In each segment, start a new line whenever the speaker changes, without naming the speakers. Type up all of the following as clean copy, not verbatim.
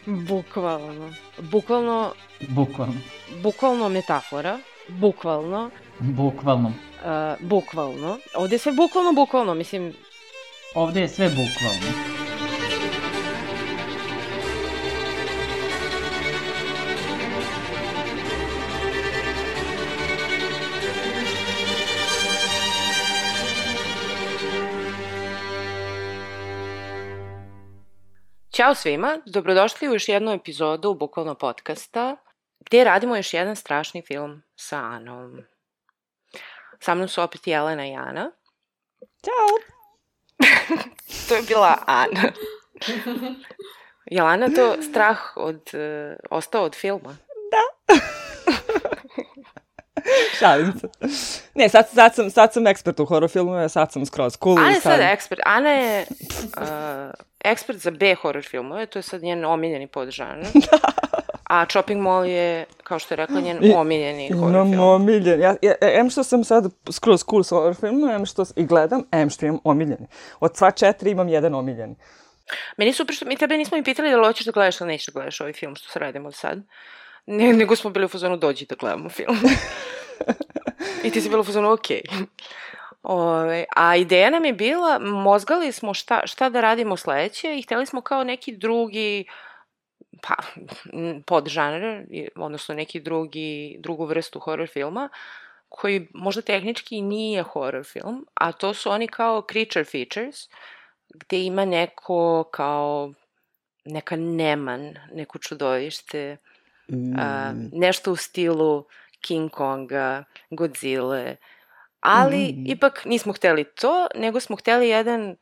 Bukvalno. Bukvalno.
Bukvalno.
Bukvalno metafora. Bukvalno.
Bukvalno.
Bukvalno. Ovde je sve bukvalno, mislim...
Ovde je sve bukvalno.
Ćao svima, dobrodošli u još jednu epizodu Bukvalno podcasta, gdje radimo još jedan strašni film sa Anom. Sa mnom su opet Jelena i Ana.
Ćao!
To je bila Ana. Jelena, to strah ostao od filma?
Da. Šalim se. Ne, sad sam ekspert u horror filmove, sad sam skroz cool.
Ana je sad ekspert. Ana je ekspert za B horror filmove, to je sad njen omiljeni podžanr. A Chopping Mall je, kao što je rekla, njen omiljeni horror film.
Omiljen. Em što sam sad skroz cool s horror filmom, em što i gledam, em što imam omiljeni. Od sva 4 imam jedan omiljeni.
Meni super što mi tebe nismo i pitali da li hoćeš da gledaš ili nećeš da gledaš ovaj film što se radimo sad. Nego smo bili u fazonu dođi da gledamo film. I ti si bila u fazonu okej. A ideja nam je bila, mozgali smo šta da radimo sledeće i hteli smo kao neki drugi podžanr, odnosno neki drugu vrstu horror filma, koji možda tehnički nije horror film, a to su oni kao creature features, gde ima neko kao neka neman, neko čudovište, nešto u stilu King Konga, Godzilla, ali ipak nismo hteli to, nego smo hteli jedan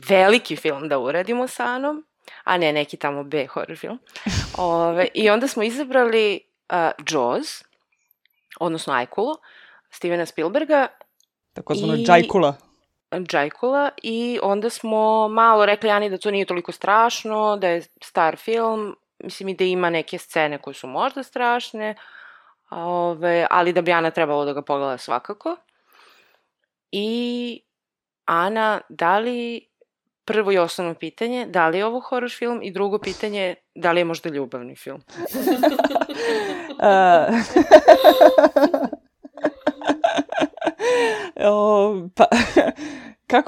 veliki film da uradimo sa Anom, a ne neki tamo B horror film. I onda smo izabrali Jaws, odnosno Ajkulu, Stevena Spielberga.
Tako zvano Džajkula.
I onda smo malo rekli Ani da to nije toliko strašno, da je star film, mislim i da ima neke scene koje su možda strašne, ali da bi Ana trebalo da ga pogleda svakako. I Ana, da li, prvo i osnovno pitanje, da li je ovo horror film i drugo pitanje, da li je možda ljubavni film?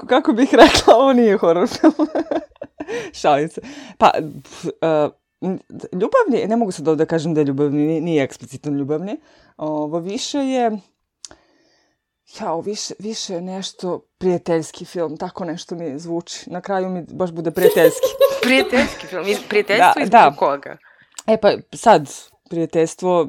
Kako bih rekla, ovo nije horror film. Šalim se. Ljubavni, ne mogu sad ovdje da kažem da je ljubavni, nije eksplicitno ljubavni. Ovo više je, više je nešto prijateljski film, tako nešto mi zvuči. Na kraju mi baš bude prijateljski.
Prijateljski film, prijateljstvo između koga?
Sad, prijateljstvo,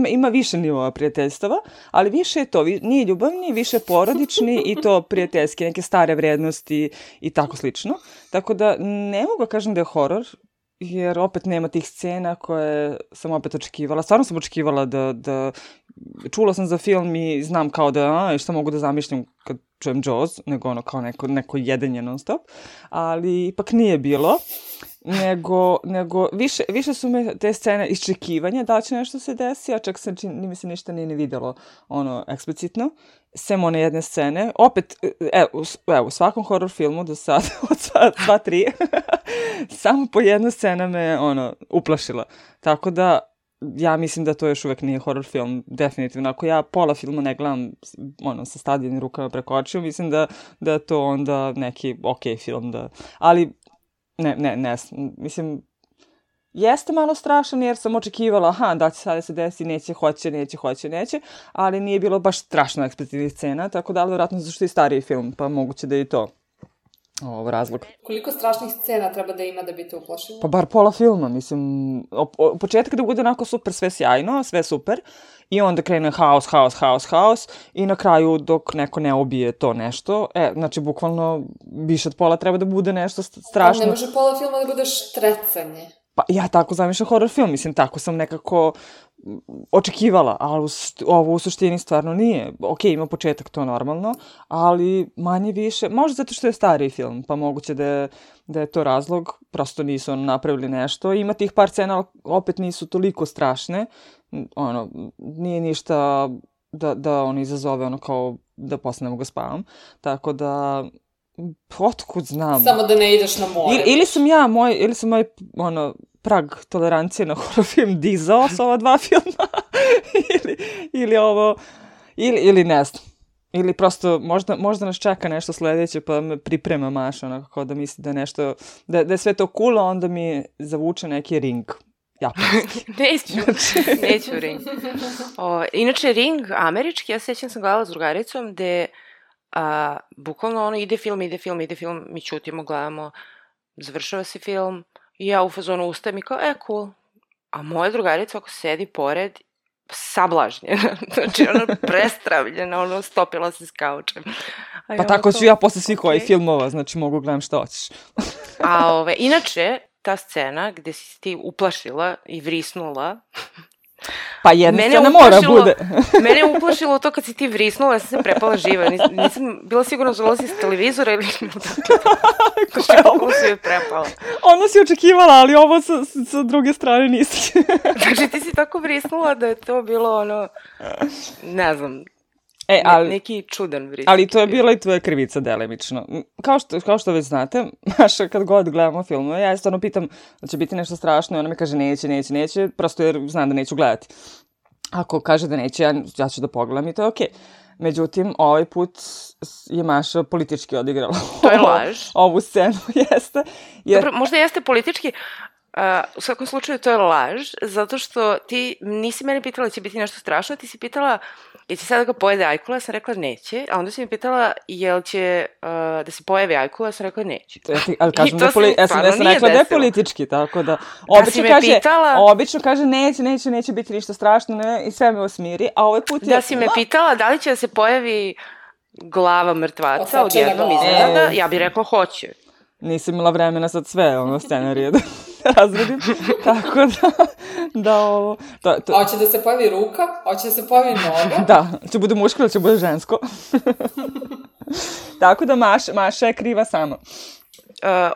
ima više nivoa prijateljstava, ali više je to, nije ljubavni, više porodični i to prijateljski, neke stare vrednosti i tako slično. Tako da ne mogu kažem da je horor, jer opet nema tih scena koje sam opet očekivala. Stvarno sam očekivala da čula sam za film i znam kao da šta mogu da zamišljam kad čujem Jaws, nego kao neko jedenje non stop, ali ipak nije bilo, nego više su me te scene iščekivanja da će nešto se desi, a čak se mi se ništa nije vidjelo eksplicitno, sem one jedne scene. Opet, u svakom horror filmu do sad, od sva 3, samo po jedna scena me uplašila. Tako da ja mislim da to još uvek nije horror film, definitivno. Ako ja pola filma ne gledam sa stavljenim rukama preko očiju, mislim da je to onda neki okej film. Ali, ne, mislim, jeste malo strašan jer sam očekivala, da će sada se desi, neće, ali nije bilo baš strašno eksplicitnih scena, tako da, vjerojatno zašto je stariji film, pa moguće da je i to razlog.
Koliko strašnih scena treba da ima da bi te uplašilo?
Pa bar pola filma, mislim, početak da bude onako super, sve sjajno, sve super, i onda krene haos, i na kraju dok neko ne ubije to nešto, znači bukvalno više od pola treba da bude nešto strašno.
Ali ne može pola filma da bude štrecanje.
Pa ja tako zamišljam horror film, mislim, tako sam nekako očekivala, ali ovo u suštini stvarno nije. Ok, ima početak, to normalno, ali manje više, možda zato što je stariji film, pa moguće da je to razlog, prosto nisu napravili nešto. Ima tih par scena, ali opet nisu toliko strašne, nije ništa da izazove kao da posle ne mogu spavam, tako da Otkud znam?
Samo da ne ideš na more.
Ili sam moj prag tolerancije na horror film dizao s ova dva filma, ili ovo, ili ne znam. Ili prosto možda nas čeka nešto sledeće, pa me priprema Maša, onako da misli da je nešto, da je sve to cool, a onda mi zavuče neki Ring. Japanski.
Neću Ring. Inače, Ring američki, ja sećam sam gledala s drugaricom, gde bukvalno ide film, mi ćutimo, gledamo, završava se film, i ja u fazonu ustajem i kao, cool. A moja drugarica ako sedi pored, sablažnjena, znači prestravljena, stopila se s kaučem.
Pa tako ću ja posle svih ovih filmova, znači mogu gledam što hoćeš.
Inače, ta scena gde si ti uplašila i vrisnula,
pa jedna scena mora bude.
Mene je uplašilo to kad si ti vrisnula, ja sam se prepala živa. Nisam bila sigurna zvala si s televizora ili kako si je prepala.
Ono si očekivala, ali ovo sa druge strane nisi.
Znači ti si tako vrisnula da je to bilo ne znam, neki čudan vris.
Ali to je bila i tvoja krivica delimično. Kao što već znate, Maša, kad god gledamo filmove, ja stvarno pitam da će biti nešto strašno i ona mi kaže neće, prosto jer znam da neću gledati. Ako kaže da neće, ja ću da pogledam i to je okej. Međutim, ovaj put je Maša politički odigrala.
To je laž.
Ovu scenu, jeste.
Dobro, možda jeste politički. U svakom slučaju to je laž, zato što ti nisi mene pitala će biti nešto strašno, ti si pitala jel će sada ga pojede ajkula, ja sam rekla neće, a onda si mi pitala jel će da se pojavi ajkula, ja sam rekla neće.
Ali kažem da ja sam rekla da je politički, tako da obično kaže neće biti ništa strašno i sve me osmiri, a ovaj put je...
Da si me pitala da li će da se pojavi glava mrtvaca odjednom iznenada, ja bih rekla hoće.
Nisam imala vremena sad sve scenarije da razredim, tako da ovo...
A hoće da se pojavi ruka? Hoće da se pojavi noga?
Da, će bude muško ili će bude žensko. Tako da Maša je kriva sama.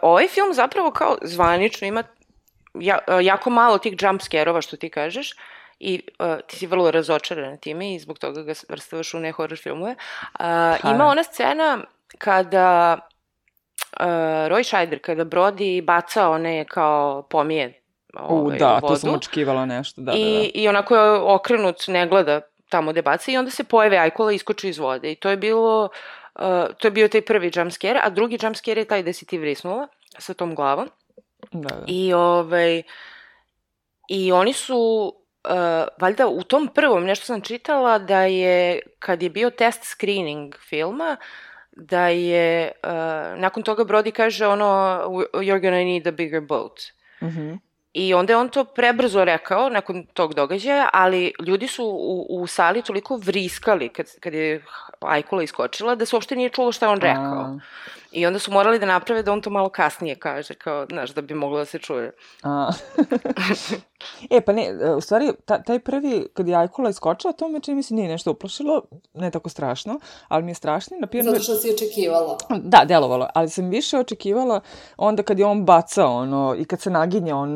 Ovaj film zapravo kao zvanično ima jako malo tih jump scare-ova što ti kažeš i ti si vrlo razočarana time i zbog toga ga vrstavaš u ne horror filmove. Ima ona scena kada... Roy Scheider, kada Brody baca one kao pomije u vodu.
Da, to sam očekivala nešto.
I onako je okrenut, ne gleda tamo gde baca i onda se pojave ajkula i iskoči iz vode. I to je bio taj prvi jump scare, a drugi jump scare je taj da si ti vrisnula sa tom glavom.
Da.
I oni su, valjda u tom prvom, nešto sam čitala, da je, kad je bio test screening filma, da je, nakon toga Brody kaže you're gonna need a bigger boat. I onda je on to prebrzo rekao nakon tog događaja, ali ljudi su u sali toliko vriskali kad je ajkula iskočila da se uopšte nije čulo šta on rekao. I onda su morali da naprave da on to malo kasnije kaže, kao, znaš, da bi moglo da se čuje.
Pa ne, u stvari, taj prvi, kad je ajkula iskočila, to me čini mi se nije nešto uplašilo, ne tako strašno, ali mi je strašno.
Zato što si očekivala.
Da, delovalo, ali sam više očekivala onda kad je on bacao, i kad se naginje on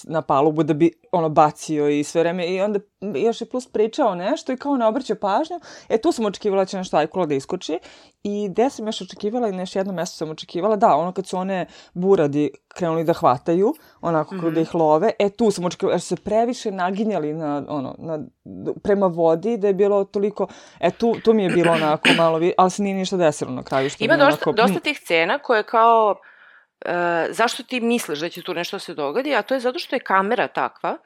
na palubu da bi bacio i sve vreme i onda još je plus pričao nešto i kao ne obraća pažnju. Tu sam očekivala da će nešto ajkula da iskoči i gde sam još očekivala i na još jedno mesto sam očekivala, kad su one buradi krenuli da hvataju, onako da ih love, tu sam očekivala, jer su se previše naginjali prema vodi, da je bilo toliko, tu mi je bilo onako malo, ali se nije ništa desilo na kraju.
Ima dosta tih scena koje kao zašto ti misliš da će tu nešto se dogodi, a to je zato što je kamera takva,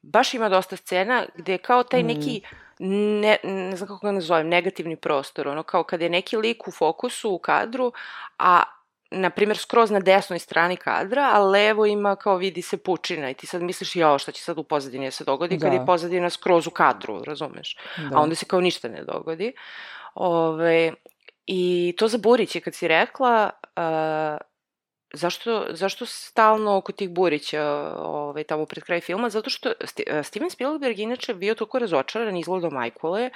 baš ima dosta scena gde je kao taj neki, ne znam kako ga nazovem, negativni prostor, kao kada je neki lik u fokusu, u kadru, a na primjer skroz na desnoj strani kadra, a levo ima kao vidi se pučina i ti sad misliš šta će sad u pozadini da se dogodi kad je pozadina skroz u kadru, razumeš? A onda se kao ništa ne dogodi. I to za Buriće kad si rekla, Zašto stalno oko tih Burića tamo pred kraj filma? Zato što Steven Spielberg inače bio toliko razočaran izgledom ajkule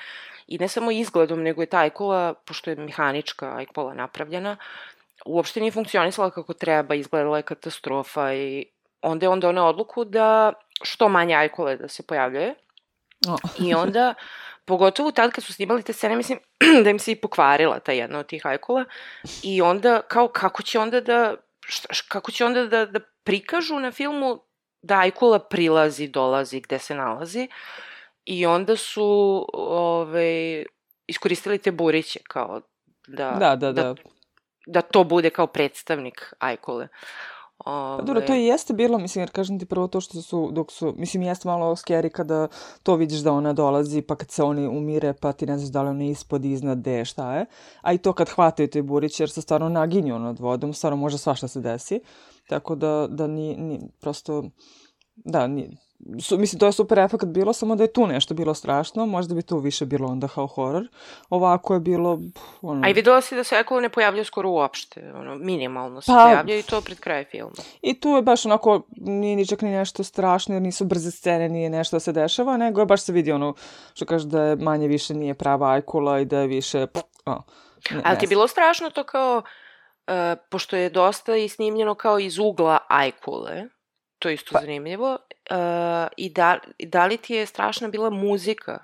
i ne samo izgledom, nego je ta ajkula, pošto je mehanička ajkula napravljena, uopšte nije funkcionisala kako treba, izgledala je katastrofa i onda je doneo odluku da što manje ajkule da se pojavljuje. I onda Pogotovo tad kad su snimali te scene, mislim da im se i pokvarila ta jedna od tih ajkula i onda kao kako će onda da prikažu na filmu da ajkula prilazi, dolazi, gde se nalazi i onda su iskoristili te buriće kao da to bude kao predstavnik ajkule.
Pa dobro, to i jeste bilo, mislim, jer kažem ti prvo to što mislim, jeste malo scary kada to vidiš da ona dolazi, pa kad se oni umire, pa ti ne znaš da li ona ispod, iznad, gde, šta je. A i to kad hvataju te buriće, jer se stvarno naginju nad vodom, stvarno može svašta se desi. Tako da ni prosto, mislim, to je super efekt bilo, samo da je tu nešto bilo strašno, možda bi tu više bilo onda kao horor. Ovako je bilo...
A i videla si da se ajkule ne pojavljaju skoro uopšte, minimalno se pojavljaju i to pred kraj filma.
I tu je baš onako, nije ni čak ni nešto strašno, jer nisu brze scene, nije nešto da se dešava, nego je baš se vidi što kaže da je manje više nije prava ajkula i da je više...
Ali ti je bilo strašno to kao, pošto je dosta i snimljeno kao iz ugla ajkule, to je isto zanimljivo, i da li ti je strašna bila muzika,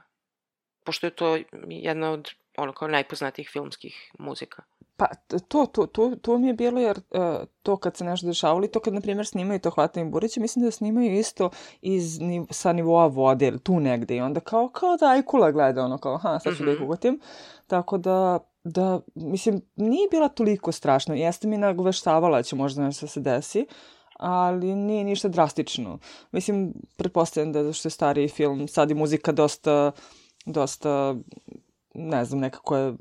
pošto je to jedna od kao najpoznatijih filmskih muzika?
Pa to mi je bilo, jer to kad se nešto dešavalo i to kad, na primjer, snimaju to hvatanje buriće, mislim da snimaju isto sa nivoa vode, ili tu negde, i onda kao da ajkula gleda, kao, sad ću da ih ugotim. Tako da, mislim, nije bila toliko strašno. Jeste mi nagoveštavala da će možda nešto se desi, ali nije ništa drastično. Mislim, pretpostavljam da što je stariji film, sad je muzika dosta, ne znam, nekako je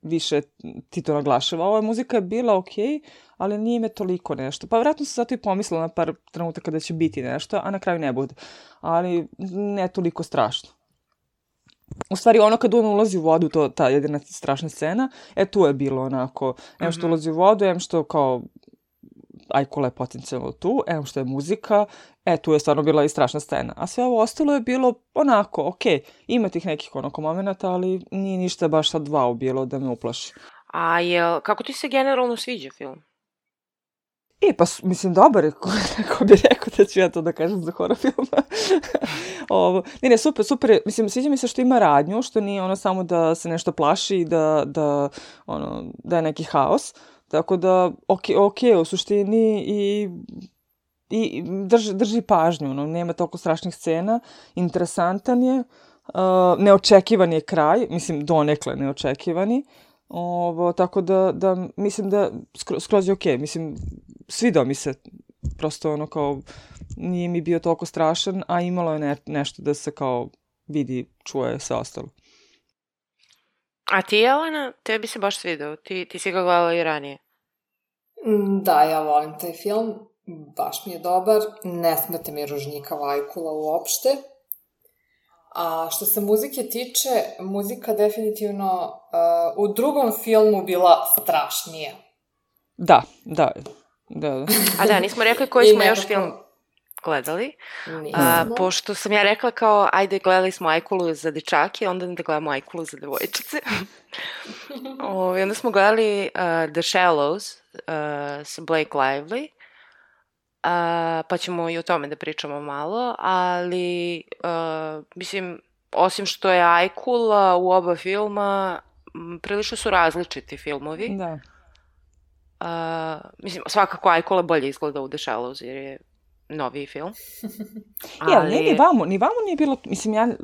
više ti to naglašava. Ova muzika je bila okej, ali nije me toliko nešto. Pa vjerojatno sam zato i pomislila na par trenutaka da će biti nešto, a na kraju ne bude. Ali ne toliko strašno. U stvari, kad on ulazi u vodu, ta jedina strašna scena, tu je bilo onako, što ulazi u vodu, što kao ajkula je potencijalno tu, što je muzika, tu je stvarno bila i strašna scena. A sve ovo ostalo je bilo onako, okej, ima tih nekih momenata, ali nije ništa baš sad wow bilo da me uplaši.
A kako ti se generalno sviđa film?
Pa, mislim, dobar je, ko bi rekao da ću ja to da kažem za horor filma. Ne, super je. Mislim, sviđa mi se što ima radnju, što nije samo da se nešto plaši i da je neki haos. Tako da, okej, u suštini i drži pažnju, nema toliko strašnih scena, interesantan je, neočekivan je kraj, mislim, donekle neočekivani, tako da mislim da skroz je okej, mislim, svidao mi se, prosto kao, nije mi bio toliko strašan, a imalo je nešto da se kao vidi, čuje, sve ostalo.
A ti, Jelena, tebi se baš svidao? Ti si ga gledala i ranije?
Da, ja volim taj film. Baš mi je dobar. Ne smete mi ružnjikava ajkula uopšte. A što se muzike tiče, muzika definitivno u drugom filmu bila strašnija.
Da.
A da, nismo rekli koji smo još film gledali. Pošto sam ja rekla kao, ajde, gledali smo ajkulu za dečake, onda da gledamo ajkulu za devojčice. Onda smo gledali The Shallows sa Blake Lively, pa ćemo i o tome da pričamo malo, ali mislim, osim što je ajkula u oba filma, prilično su različiti filmovi.
Da.
Mislim, svakako ajkula bolje izgleda u The Shallows, jer je noviji film.
Ni vamo nije bilo, mislim,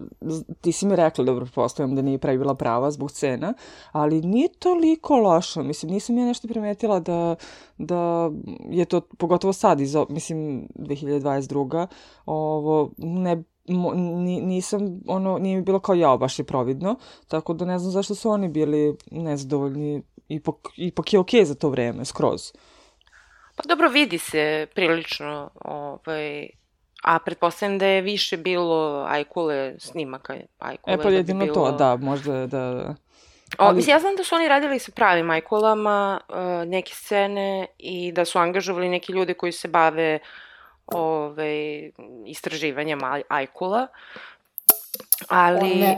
ti si mi rekla, dobro, pretpostavljam da nije pravi bila prava zbog scena, ali nije toliko lošo, mislim, nisam ja nešto primetila da je to, pogotovo sad, mislim, 2022. Nisam, nije mi bilo kao jao, baš je providno, tako da ne znam zašto su oni bili nezadovoljni, ipak je okej za to vreme, skroz.
Pa dobro, vidi se prilično, a pretpostavljam da je više bilo ajkule snimaka.
Pa jedino to, da, možda da...
Mislim, ja znam da su oni radili sa pravim ajkulama neke scene i da su angažovali neki ljudi koji se bave istraživanjem ajkula.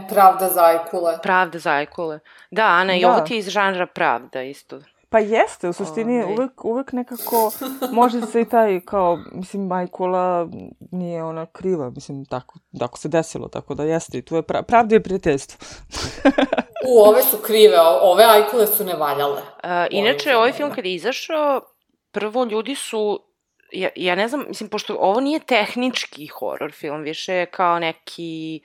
Pravda za ajkule.
Pravda za ajkule. Da, Ana, i ovo ti je iz žanra pravda isto.
Pa jeste, u suštini uvek nekako može se i taj kao, mislim, Ajkula nije ona kriva, mislim, tako se desilo, tako da jeste i tu je pravda je prijateljstvo.
Ove su krive, ove Ajkule su nevaljale.
Inače, ovaj film kad je izašao, prvo ljudi su, ja ne znam, mislim, pošto ovo nije tehnički horor film, više je kao neki,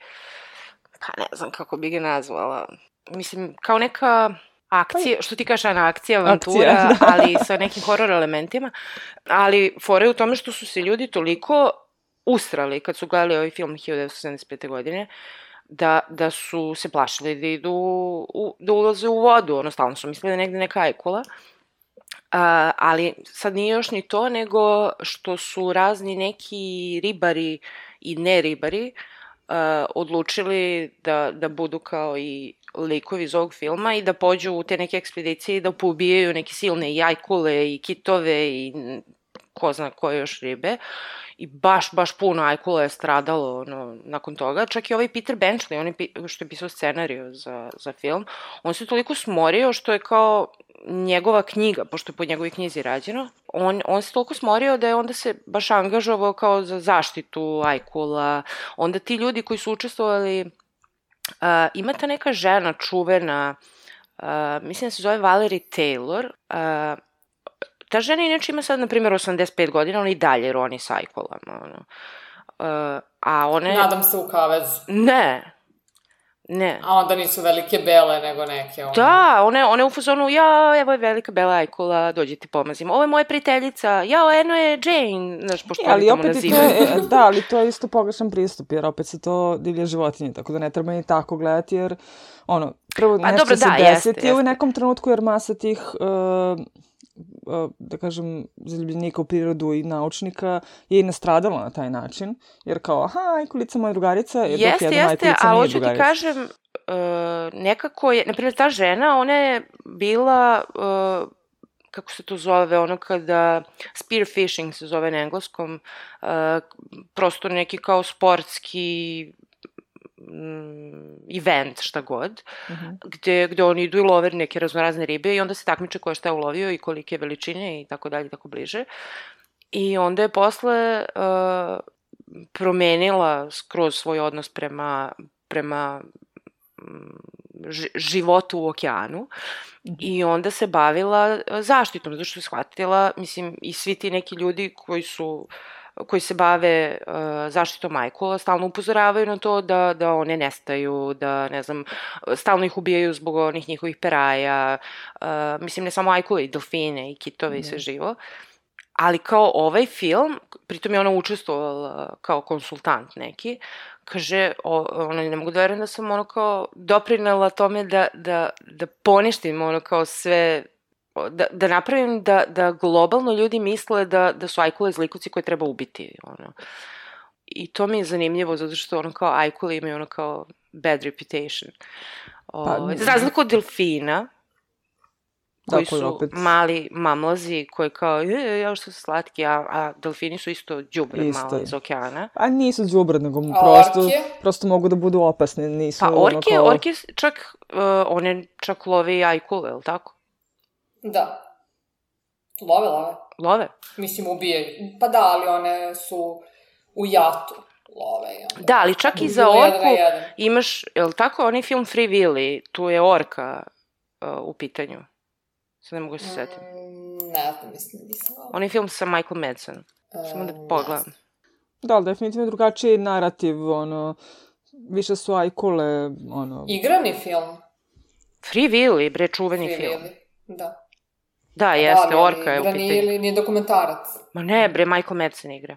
pa ne znam kako bi ga nazvala, mislim, kao neka akcija, što ti kažeš, akcija, avantura, ali sa nekim horor elementima, ali fora je u tome što su se ljudi toliko usrali kad su gledali ovaj film 1975. godine, da su se plašili da idu, da ulaze u vodu, ono, stalno su mislili da negde neka Ajkula, ali sad nije još ni to, nego što su razni neki ribari i ne ribari odlučili da budu kao i likovi iz ovog filma i da pođu u te neke ekspedicije i da poubijaju neke silne i Ajkule i kitove i ko zna koje još ribe. I baš puno Ajkula je stradalo nakon toga. Čak i ovaj Peter Benchley, on što je pisao scenariju za film, on se toliko smorio što je kao njegova knjiga, pošto je po njegovoj knjizi rađeno, on se toliko smorio da je onda se baš angažovao kao za zaštitu Ajkula. Onda ti ljudi koji su učestvovali, ima ta neka žena čuvena, mislim da se zove Valerie Taylor, ta žena inače ima sad, na primjer, 85 godina, ona i dalje roni s Ajkulama. A one...
Nadam se u kavezu.
Ne.
A onda nisu velike bele, nego neke.
Da, one u fazonu, evo je velika bela Ajkula, dođi ti pomazim. Ovo je moja prijateljica, eno je Jane, znaš, pošto oni tamo nazivaju.
Da, ali to je isto pogrešan pristup, jer opet se to divlje životinje, tako da ne treba ni tako gledati, jer, prvo nešto se desiti u nekom trenutku, jer masa tih... da kažem, zaljubljenika u prirodu i naučnika je i nastradalo na taj način, jer kao, Ajkulica moja drugarica, jer dok jedna Ajkulica nije drugarica.
Ali hoću ti kažem, nekako je, naprimjer, ta žena, ona je bila, kako se to zove, ono kada, spearfishing se zove na engleskom, prosto neki kao sportski event, šta god, gde oni idu i love neke raznorazne ribe i onda se takmiče ko je šta ulovio i kolike veličine i tako dalje, tako bliže. I onda je posle promenila skroz svoj odnos prema životu u okeanu i onda se bavila zaštitom, zato što je shvatila, mislim, i svi ti neki ljudi koji se bave zaštitom Ajkula, stalno upozoravaju na to da one nestaju, da, ne znam, stalno ih ubijaju zbog onih njihovih peraja, mislim, ne samo Ajkule, i delfine, i kitove, i sve živo. Ali kao ovaj film, pritom je ona učestvovala kao konsultant neki, kaže, ne mogu da verujem da sam kao doprinela tome da poništim kao sve, da napravim da globalno ljudi misle da su Ajkule zlikovci koje treba ubiti. I to mi je zanimljivo, zato što kao Ajkule imaju kao bad reputation. Za razliku od delfina, koji su mali mamlazi, koji kao, što su slatki, a delfini su isto đubre malo iz okeana.
A nisu đubre, nego prosto mogu da budu opasne.
Pa orke čak, one čak love i Ajkule, je li tako?
Da. Love. Mislim, ubijaju. Pa da, ali one su u jatu love.
Da, ali čak i za orku imaš, je li tako, onaj film Free Willy, tu je orka u pitanju. Sad ne mogu se setim.
Ne znam, mislim, nisam ovo.
Onaj film sa Michael Madsen. Samo da pogledam.
Da, ali definitivno drugačiji narativ, više su Ajkule,
Igrani film.
Free Willy, bre, čuveni film.
Da.
Da, jeste, orka je u pitanju.
Ili nije dokumentarac?
Ma ne, bre, Michael Madsen igra.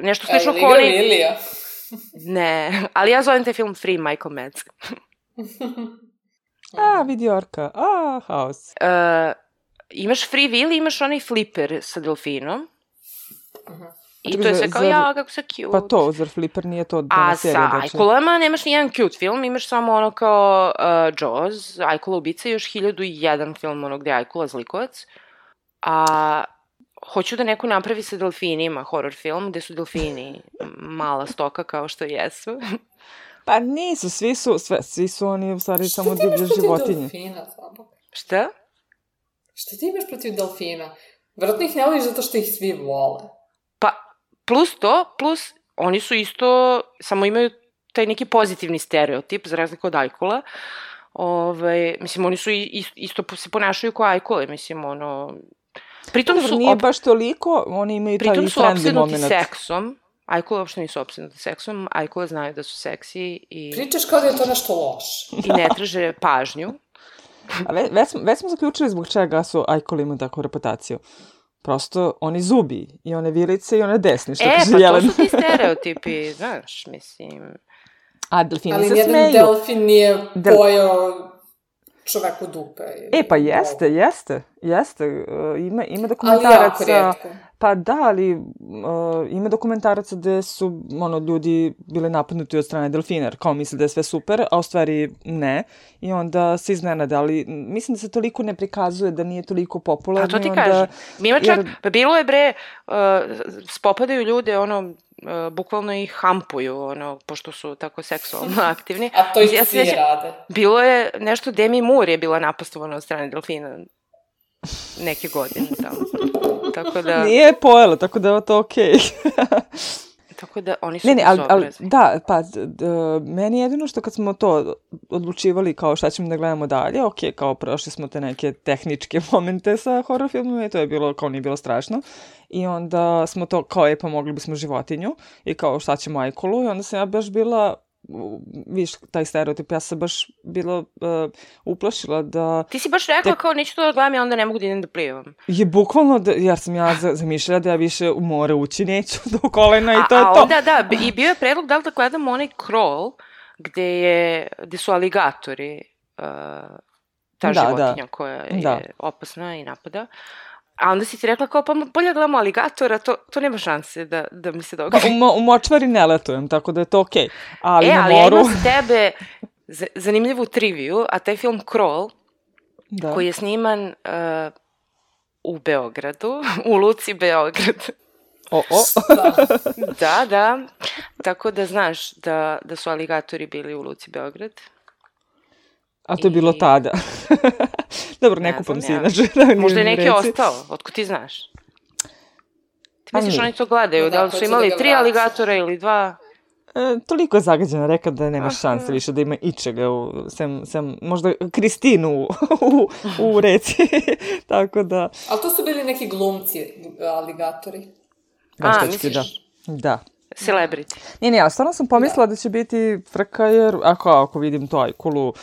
Nešto slično
ko oni... Igra Lilija?
Ne, ali ja zovem taj film Free Michael Madsen.
Vidi orka, haos.
Imaš Free Willy, imaš onaj Flipper sa delfinom. I to je sve kao, kako se cute.
Pa to, zar Flipper nije to
dana serija? A sa Ajkulama nemaš nijedan cute film, imaš samo kao Jaws, Ajkula ubica i još 1001 film gde je Ajkula zlikovac. A hoću da neko napravi sa delfinima horror film, gde su delfini mala stoka kao što jesu.
Pa nisu, svi su oni u stvari samo divlje životinje.
Delfina, slabo.
Šta?
Šta ti imaš protiv delfina? Vjerojatno ih ne voliš zato što ih svi vole.
Pa, plus oni su isto, samo imaju taj neki pozitivni stereotip, za razliku od ajkula. Mislim, oni su isto se ponašaju kao ajkule, mislim, Pritom su
nije baš toliko, oni imaju taj friendly moment.
Pritom su opsednuti seksom. Ajkule uopšte nisu opsednuti seksom, ajkule znaju da su seksi i...
Pričaš kao da je to nešto loše.
I ne traže pažnju.
A već smo zaključili zbog čega su ajkuli imaju takvu reputaciju. Prosto, oni zubi, i one vilice, i one desni, što kaže Jelena.
To su ti stereotipi, znaš, mislim...
A delfini se
smeju. Ali jedan delfin nije pojao čoveku dupe.
Pa jeste. Ima dokumentaraca...
Ali jako rijetko.
Pa da, ali ima dokumentaraca gde su ljudi bili napadnuti od strane delfina, jer kao misle da je sve super, a u stvari ne. I onda se iznenade, ali mislim da se toliko ne prikazuje, da nije toliko popularno.
A to ti kažem. Ima čak, bilo je spopadaju ljude, bukvalno ih hampuju, pošto su tako seksualno aktivni.
A to ih svi rade.
Bilo je nešto, Demi Moore je bila napastovana od strane delfina neke godine tamo. Tako da...
Nije pojela, tako da je to okej.
Tako da oni su bezobrazni.
Da, pa, meni jedino što kad smo to odlučivali kao šta ćemo da gledamo dalje, kao prošli smo te neke tehničke momente sa horror filmima i to je bilo, kao nije bilo strašno. I onda smo to, kao pa mogli bismo životinju i kao šta ćemo ajkulu i onda sam ja baš bila... viš, taj stereotip, ja sam baš bila uplašila da...
Ti si baš rekla kao neću to da gledam, ja onda ne mogu da idem da plivam.
Je bukvalno, jer sam ja zamišljala da ja više u more ući neću do kolena i to je to.
A onda da, i bio je predlog da li da gledamo onaj Crawl, gde su aligatori, ta životinja koja je opasna i napada. A onda si ti rekla kao, pa bolje gledamo aligatora, to nema šanse da mi se dogodi.
U močvari ne letujem, tako da je to okej. Ali na moru...
ja imam za tebe zanimljivu triviju, a taj film Crawl, koji je sniman u Beogradu, u Luci Beograd. Da. Tako da znaš da su aligatori bili u Luci Beograd.
A to je bilo tada. Dobro, ne kupam si inače.
Možda je neki ostao, otko ti znaš? Ti misliš oni to gledaju, da li su imali 3 aligatora ili 2?
Toliko je zagađena reka da nema šanse više da ima ičega, sem možda Kristinu u reci. Tako da...
Ali to su bili neki glumci, aligatori.
Misliš? Da.
Celebrity.
Ne, ja stvarno sam pomislila da će biti frka, jer ako vidim to ajkulu,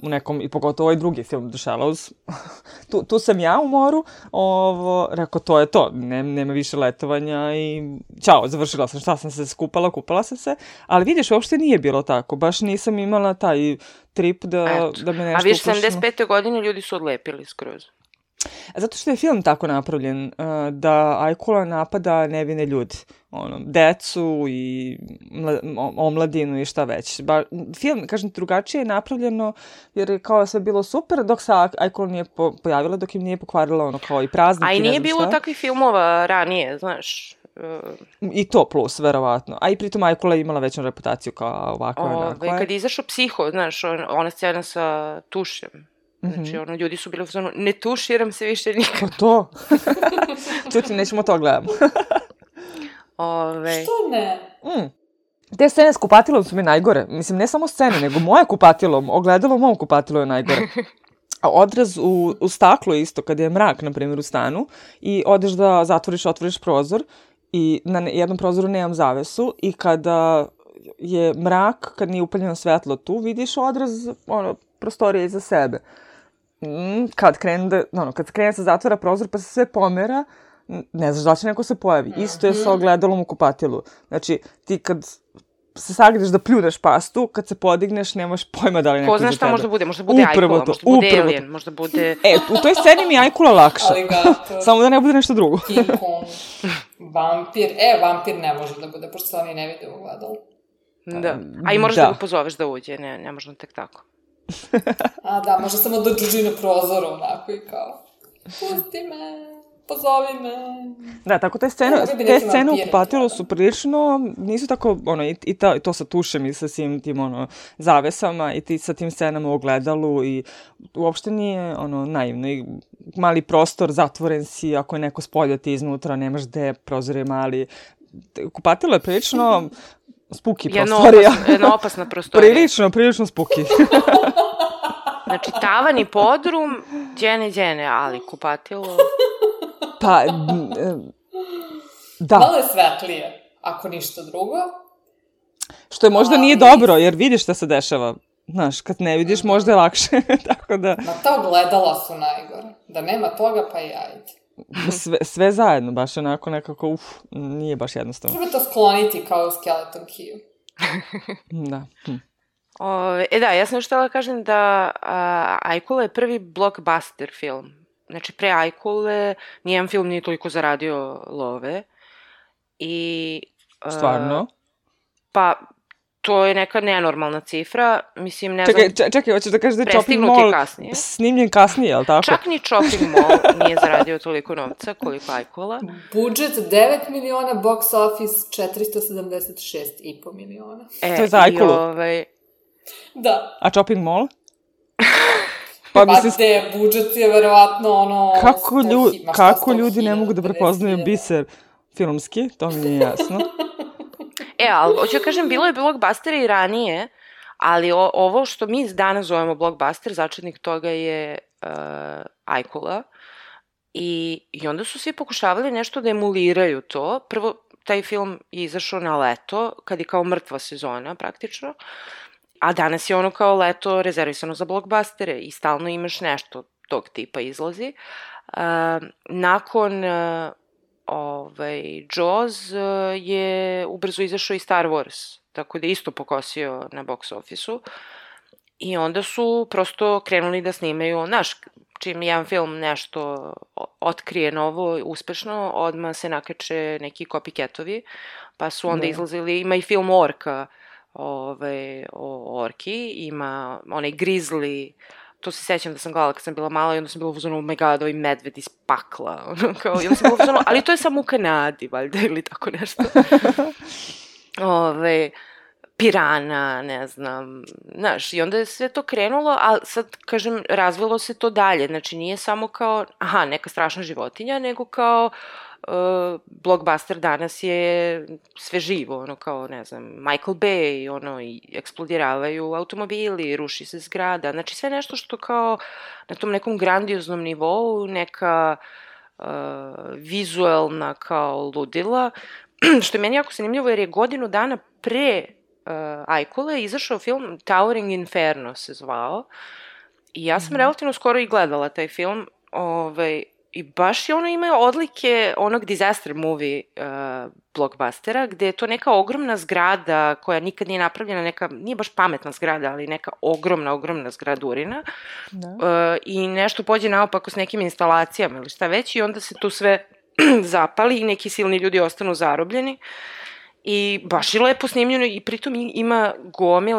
u nekom, i pogotovo ovaj drugi film, The Shallows, tu sam ja u moru, rekao, to je to, nema više letovanja i ćao, završila sam, šta sam se kupala sam se, ali vidiš, uopšte nije bilo tako, baš nisam imala taj trip da me nešto uplašno.
A viš, 75. godine ljudi su odlepili skroz.
Zato što je film tako napravljen, da ajkula napada nevine ljude, decu i omladinu i šta već. Film, kažem, drugačije je napravljeno jer je kao sve bilo super dok se ajkula nije pojavila, dok im nije pokvarila kao i praznike.
A i nije bilo takvih filmova ranije, znaš.
I to plus, verovatno. A i pritom ajkula je imala veću reputaciju kao ovakva onakva.
Kad je izašao Psiho, znaš, ona scena sa tušem. Znači, ljudi su bili u zonu, ne tuširam se više nikad.
Pa to. Čuti, nećemo to gledamo.
Što ne?
Te scene s kupatilom su mi najgore. Mislim, ne samo scene, nego moje kupatilo, ogledalo mom kupatilu je najgore. A odraz u staklu isto, kada je mrak, na primjer, u stanu, i odeš da otvoriš prozor, i na jednom prozoru nemam zavesu, i kada je mrak, kad nije upaljeno svetlo tu, vidiš odraz, prostorije iza sebe. Kad krene se zatvara prozor pa se sve pomera, ne znaš da će neko se pojavi. Isto je sa ogledalom u kupatilu. Znači, ti kad se sagledeš da pljuneš pastu, kad se podigneš nemaš pojma da li neko iza tebe.
Ko zna šta možda bude ajkula, možda bude alien, možda bude...
U toj sceni mi je ajkula lakša. Samo da ne bude nešto drugo.
King Kong, vampir. Vampir ne može da bude, pošto se oni ne vide u ogledalu.
Da. A i možeš da ga pozoveš da uđe, ne možda tek tako.
A da, možda samo da drži na prozoru onako i kao, pusti me. pozovi me.
Da, tako te scene u Kupatilu su prilično, nisu tako, to sa tušem i sa svim tim, zavesama i ti sa tim scenama u ogledalu i uopšte nije, naivno i mali prostor, zatvoren si, ako je neko spolja ti iznutra, nemaš gde, prozor je mali. Kupatilo je prilično spuki prostorija.
Jedna opasna prostorija.
Prilično spuki.
Znači, tavan i podrum, džene, ali kupatilo...
Pa, da.
Malo je svetlije, ako ništa drugo.
Što je možda nije dobro, jer vidiš šta se dešava. Znaš, kad ne vidiš, možda je lakše, tako da...
Ma ta ogledala su najgore. Da nema toga, pa i ajde.
Sve zajedno, baš onako nekako, nije baš jednostavno.
Treba to skloniti kao u Skeleton Keyu.
Da.
Da, ja sam još htjela kažem da Ajkula je prvi blockbuster film. Znači, pre Ajkule nijedan film nije toliko zaradio love.
Stvarno?
Pa, to je neka nenormalna cifra. Mislim, ne znam...
Čekaj, hoćeš da kažeš da je Chopping Mall snimljen kasnije, je li tako?
Čak ni Chopping Mall nije zaradio toliko novca koliko Ajkula.
Budžet 9 miliona, box office 476,5 miliona.
To je za Ajkulu?
Da.
A Chopping Mall?
Pa gde, budžet je verovatno
Kako ljudi ne mogu da prepoznaju biser filmski, to mi nije jasno.
Ali hoću da kažem, bilo je blockbustera i ranije, ali ovo što mi danas zovemo blockbuster, začetnik toga je Ajkula. I onda su svi pokušavali nešto da emuliraju to. Prvo, taj film je izašao na leto, kad je kao mrtva sezona praktično. A danas je ono kao leto rezervisano za blockbustere i stalno imaš nešto tog tipa izlazi. Nakon Jaws je ubrzo izašao i Star Wars, tako da je isto pokosio na box office-u. I onda su prosto krenuli da snimaju, znaš, čim jedan film nešto otkrije novo, uspešno, odmah se nakače neki copycatovi, pa su onda izlazili, ima i film Orka, o orki, ima onaj Grizzly, to se sećam da sam gledala kad sam bila mala i onda sam bila uzmano, oh my god, ovaj medved iz pakla, i onda sam bila uzmano, ali to je samo u Kanadi, valjda, ili tako nešto. Pirana, ne znam, znaš, i onda je sve to krenulo, ali sad, kažem, razvilo se to dalje, znači nije samo kao, neka strašna životinja, nego kao blockbuster danas je sve živo, kao, ne znam, Michael Bay, i eksplodiravaju automobili, ruši se zgrada, znači sve nešto što kao na tom nekom grandioznom nivou, neka vizuelna kao ludila, što je meni jako zanimljivo jer je godinu dana pre Ajkule izašao film Towering Inferno se zvao i ja sam relativno skoro i gledala taj film i baš je ima odlike onog disaster movie blockbustera gde je to neka ogromna zgrada koja nikad nije napravljena, neka, nije baš pametna zgrada, ali neka ogromna zgradurina i nešto pođe naopako s nekim instalacijama ili šta već i onda se tu sve zapali i neki silni ljudi ostanu zarobljeni. I baš je lepo snimljeno i pritom ima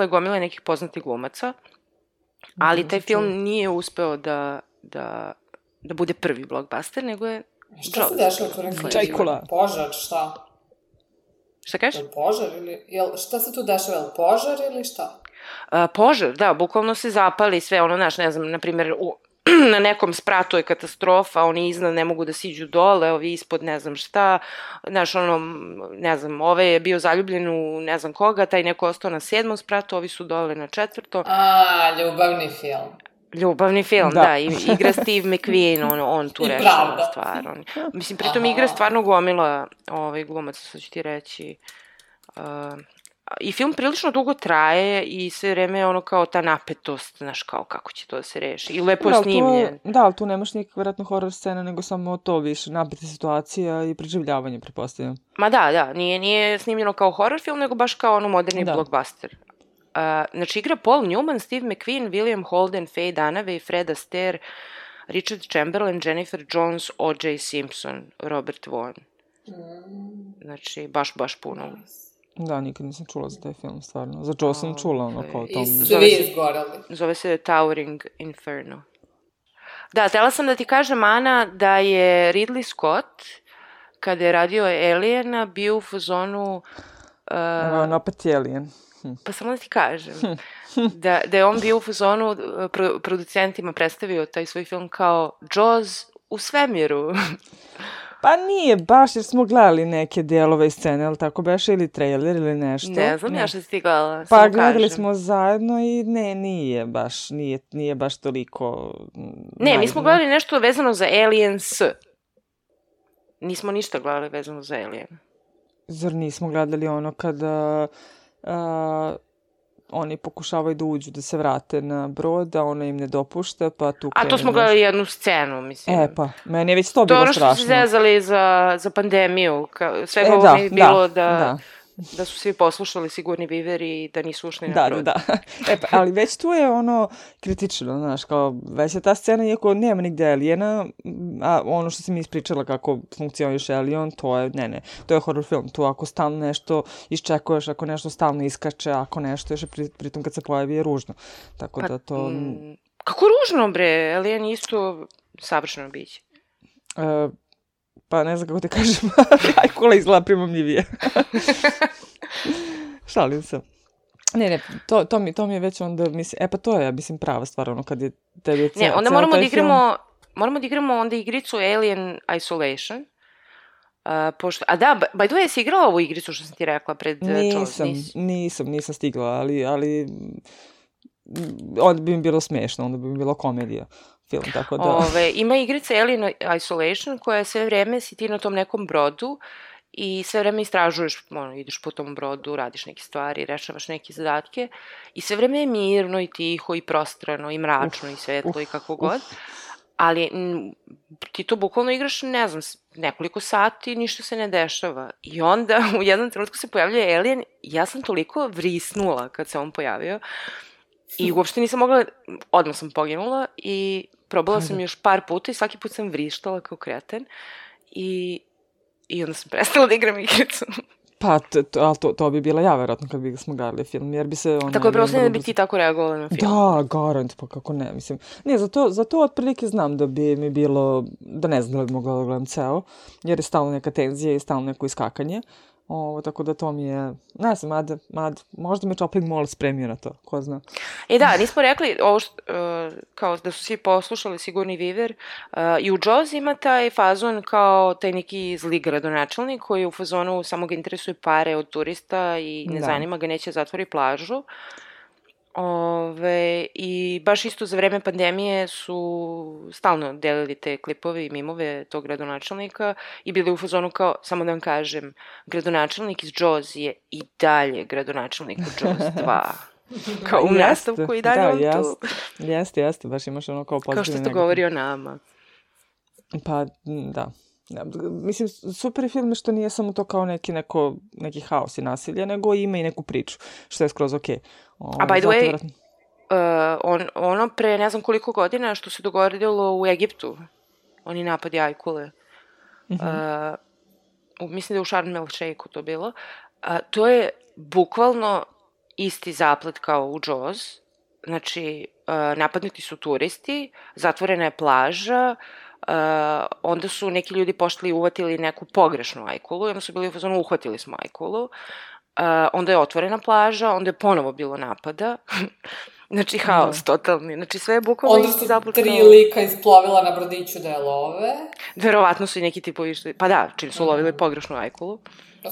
gomile nekih poznatih glumaca, ali taj film nije uspeo da bude prvi blockbuster, nego je...
Šta se dešava tu rekli?
Čajkula.
Požar, šta?
Šta kažeš?
Je požar ili... Šta se tu dešava? Je li požar ili šta?
Požar, da, bukvalno se zapali sve, znaš, ne znam, na primjer, na nekom spratu je katastrofa, oni iznad ne mogu da siđu dole, ovi ispod ne znam šta, znaš, ne znam, ovaj je bio zaljubljen u ne znam koga, taj neko ostao na 7. spratu, ovi su dole na 4.
Ljubavni film.
Ljubavni film, da, igra Steve McQueen, on tu rešava stvar. Mislim, pritom igra stvarno gomila glumaca, sad ću ti reći. I film prilično dugo traje i sve vreme je kao ta napetost, znaš, kao kako će to da se reši. I lepo je snimljen.
Da, ali tu nemaš nikak vjerojatno horror scena, nego samo to više, napeta situacija i preživljavanje, pretpostavljam.
Ma da, nije snimljeno kao horror film, nego baš kao moderni blockbuster. Znači, igra Paul Newman, Steve McQueen, William Holden, Faye Dunaway, Fred Astaire, Richard Chamberlain, Jennifer Jones, O.J. Simpson, Robert Vaughn. Znači, baš puno.
Da, nikad nisam čula za taj film, stvarno. Za Joe sam čula, kao tom...
I svi izgorali.
Zove se Towering Inferno. Da, htela sam da ti kažem, Ana, da je Ridley Scott, kada je radio Aliena, bio u fazonu...
Evo, opet je Alien.
Pa samo da ti kažem, da je on bio u fazonu, producentima predstavio taj svoj film kao Jaws u svemiru.
Pa nije baš, jer smo gledali neke delove i scene, ali tako beše, ili trailer ili nešto.
Ne znam ja što si ti gledala,
pa gledali smo zajedno i ne, nije baš toliko...
Ne, mi smo gledali nešto vezano za Aliens. Nismo ništa gledali vezano za Alien.
Zar nismo gledali ono kada oni pokušavaju da uđu, da se vrate na brod, a ona im ne dopušta, pa tu...
A to smo gledali jednu scenu, mislim.
Pa, meni je već to bilo strašno.
To ono što su se zezali za pandemiju. Svega ovo mi je bilo da su svi poslušali Sigurni Viveri i da nisu ušli na brod.
Da. Ali već tu je ono kritično, znaš, kao već je ta scena, iako nema nigde Aliena, a ono što si mi ispričala kako funkcioniše Alien, to je, to je horror film. Tu ako stalno nešto iščekuješ, ako nešto stalno iskače, ako nešto još pritom kad se pojavi je ružno. Tako da to...
Kako ružno, bre? Alien isto savršeno biće.
Pa ne znam kako te kažem, ajkula izgleda primamljivije. Šalim se. Ne, to mi je već onda, mislim, pa to je, mislim, prava stvar, ono, kad je tebi ceo taj film...
Ne, onda moramo da igramo onda igricu Alien Isolation. By the way, jesi igrala ovu igricu što sam ti rekla pred Jaws?
Nisam stigla, ali onda bi mi bilo smešno, onda bi mi bilo komedija. Film, tako da...
Ima igrica Alien Isolation koja sve vreme si ti na tom nekom brodu i sve vreme istražuješ, ideš po tom brodu, radiš neke stvari, rešavaš neke zadatke i sve vreme je mirno i tiho i prostrano i mračno i svetlo i kako god, ali ti to bukvalno igraš, ne znam, nekoliko sati, ništa se ne dešava i onda u jednom trenutku se pojavljuje Alien i ja sam toliko vrisnula kad se on pojavio i uopšte nisam mogla, odmah sam poginula i probala sam još par puta i svaki put sam vrištala kao kreten i onda sam prestala da igram igricu.
Pa, ali to bi bila ja, verovatno, kad bi smo gledali film, jer bi se...
Tako je, prosto da bi ti tako reagovala na film.
Da, garant, pa kako ne, mislim. Ne, zato otprilike znam da bi mi bilo, da ne znam da bi mogla da gledam ceo, jer je stalno neka tenzija i stalno neko iskakanje. Tako da to mi je, ne znam, možda me Chopping Mall spremio na to, ko zna.
Da, nismo rekli ovo kao da su svi poslušali Sigurni Viver i u Jaws ima taj fazon kao taj neki zli gradonačelnik koji u fazonu samo ga interesuje pare od turista i ne zanima ga, neće zatvori plažu. I baš isto za vreme pandemije su stalno delili te klipove i mimove tog gradonačelnika i bili u fazonu kao, samo da vam kažem, gradonačelnik iz Jaws je i dalje gradonačelnik u Jaws 2. Kao u nastavku i dalje on tu.
Jeste, baš imaš ono kao pozitivno.
Kao što to govori o nama.
Pa, da. Mislim, super je film što nije samo to kao neki haos i nasilje, nego ima i neku priču, što je skroz okej.
A by the way, ono pre ne znam koliko godina što se dogodilo u Egiptu, oni napadi ajkule, mislim da je u Sharm el Sheikhu to bilo, to je bukvalno isti zaplet kao u Jaws, znači napadnuti su turisti, zatvorena je plaža, onda su neki ljudi pošli i uvatili neku pogrešnu ajkulu i onda su bili u fazonu uhvatili smo ajkulu, onda je otvorena plaža, onda je ponovo bilo napada, znači haos totalni, znači sve je bukvalno isti zaplet.
Onda su 3 lika isplovila na brodiću da je love.
Verovatno su i neki tipovi išli, pa da, čim su lovili pogrešnu ajkulu.
100%.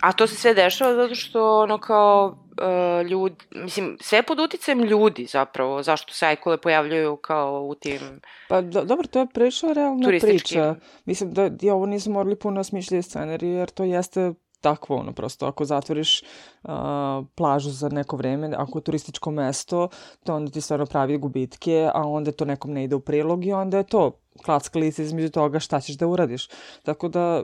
A to se sve dešava zato što ono kao ljudi, mislim, sve pod uticajem ljudi zapravo, zašto se ajkule pojavljaju kao u tim
Pa dobro, to je prilično realna priča. Mislim da ovo nisu morali puno smišljati scenariju, jer to jeste takvo, ono, prosto, ako zatvoriš plažu za neko vreme, ako je turističko mesto, to onda ti stvarno pravi gubitke, a onda to nekom ne ide u prilog i onda je to klackalica između toga šta ćeš da uradiš. Tako da,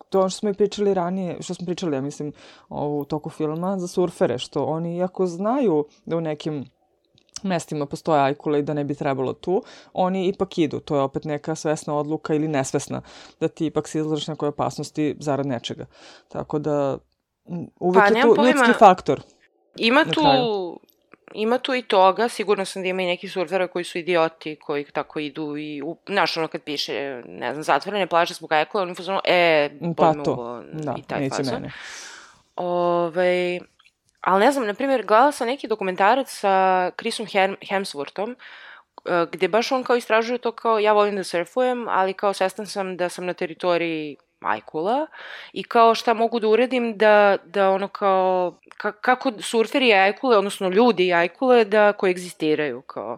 to što smo i pričali ranije, što smo pričali, ja mislim, u toku filma, za surfere, što oni, iako znaju da u nekim mestima postoje ajkule i da ne bi trebalo tu, oni ipak idu. To je opet neka svesna odluka ili nesvesna, da ti ipak se izlažeš nekoj opasnosti zarad nečega. Tako da, uvek je tu ljudski faktor.
Ima tu ima tu i toga, sigurno sam da ima i neki surfera koji su idioti, koji tako idu i, znaš, ono kad piše, ne znam, zatvorene plaže zbog ajkula, oni fazonu,
Pa
bojme
to,
uvo,
da,
i taj
neće
fazon.
mene.
Ali ne znam, na primjer, gledala sam neki dokumentarac sa Chrisom Hemsworthom, gde baš on kao istražuje to kao ja volim da surfujem, ali kao svestan sam da sam na teritoriji ajkula i kao šta mogu da uradim da ono kao, kako surferi i ajkule, odnosno ljudi i ajkule da koegzistiraju, kao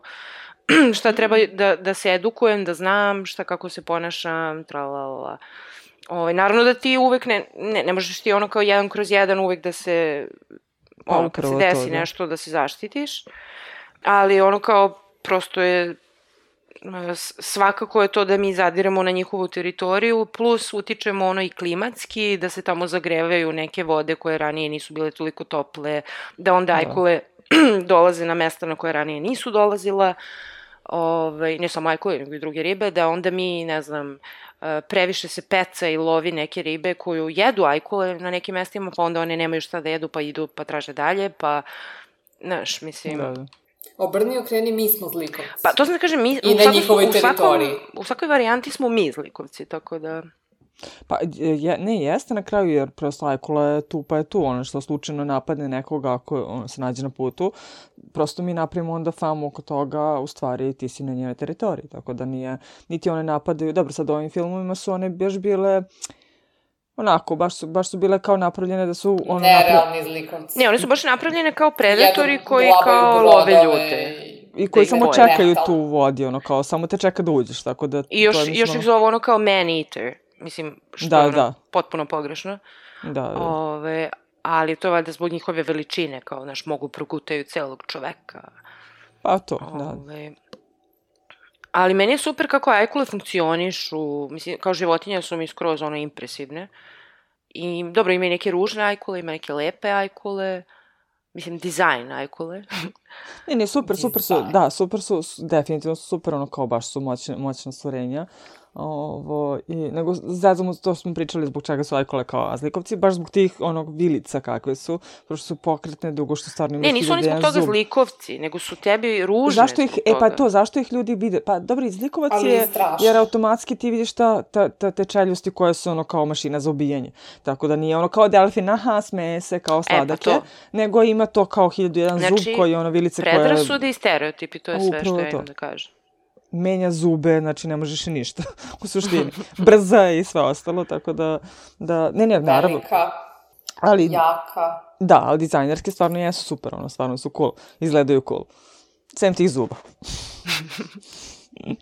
šta treba da se edukujem, da znam šta kako se ponašam, tralalala. Naravno da ti uvek ne možeš ti ono kao 1/1 uvek da se, ono kad se desi nešto da se zaštitiš, ali ono kao prosto je svakako je to da mi zadiramo na njihovu teritoriju, plus utičemo ono i klimatski, da se tamo zagrevaju neke vode koje ranije nisu bile toliko tople, da onda ajkule dolaze na mesta na koje ranije nisu dolazila, ne samo ajkule, nego i druge ribe, da onda mi, ne znam, previše se peca i lovi neke ribe koju jedu ajkule na nekim mestima, pa onda one nemaju šta da jedu, pa idu pa traže dalje, pa, znaš, mislim...
Da.
Obrni okreni, mi smo zlikovci.
Pa to sam da kažem,
i na njihovoj teritoriji.
U svakoj varijanti smo mi zlikovci, tako da...
Pa ne jeste na kraju, jer prosto ajkula je tu pa je tu, ono što slučajno napadne nekoga ako se nađe na putu, prosto mi napravimo onda famu oko toga, u stvari ti si na njenoj teritoriji, tako da nije, niti one napadaju, dobro sad ovim filmovima su one baš bile... Onako, baš su bile kao napravljene da su...
Nerealni zlikovci.
Ne, one su baš napravljene kao predatori koji kao love ljude.
I koji samo čekaju tu u vodi, ono kao, samo te čeka da uđeš, tako da...
I još ih zove ono kao man-eater, mislim, što je ono potpuno pogrešno.
Da.
Ali to je valjda zbog njihove veličine, kao, znaš, mogu progutaju celog čoveka.
Pa to, da.
Ali meni je super kako ajkule funkcionišu, mislim, kao životinje su mi skroz ono impresivne. I dobro, ima i neke ružne ajkule, ima neke lepe ajkule, mislim, dizajn ajkule.
Ne, super su, da, super su, definitivno su super, ono kao baš su moćna stvorenja. Nego zazamo to smo pričali zbog čega su ajkule kao zlikovci, baš zbog tih onog vilica kakve su, pošto su pokretne dugo što stvarno imaju.
Ne, nisu oni zbog toga zlikovci, nego su tebi ružne.
Zašto ih, zašto ih ljudi vide? Pa dobro, i zlikovac je, jer automatski ti vidiš te čeljusti koje su ono kao mašina za ubijanje. Tako da nije ono kao delfin, aha, smeje se kao sladake, nego ima to kao 1001 zub koji je ono vilice koje...
Znači, predrasude i stereotipi, to je sve što ja imam da kažem.
Menja zube, znači ne možeš i ništa, u suštini. Brza i sve ostalo, tako da ne, naravno.
Velika, jaka.
Da, ali dizajnerske stvarno jesu super, ono, stvarno su cool, izgledaju cool. Sem tih zuba.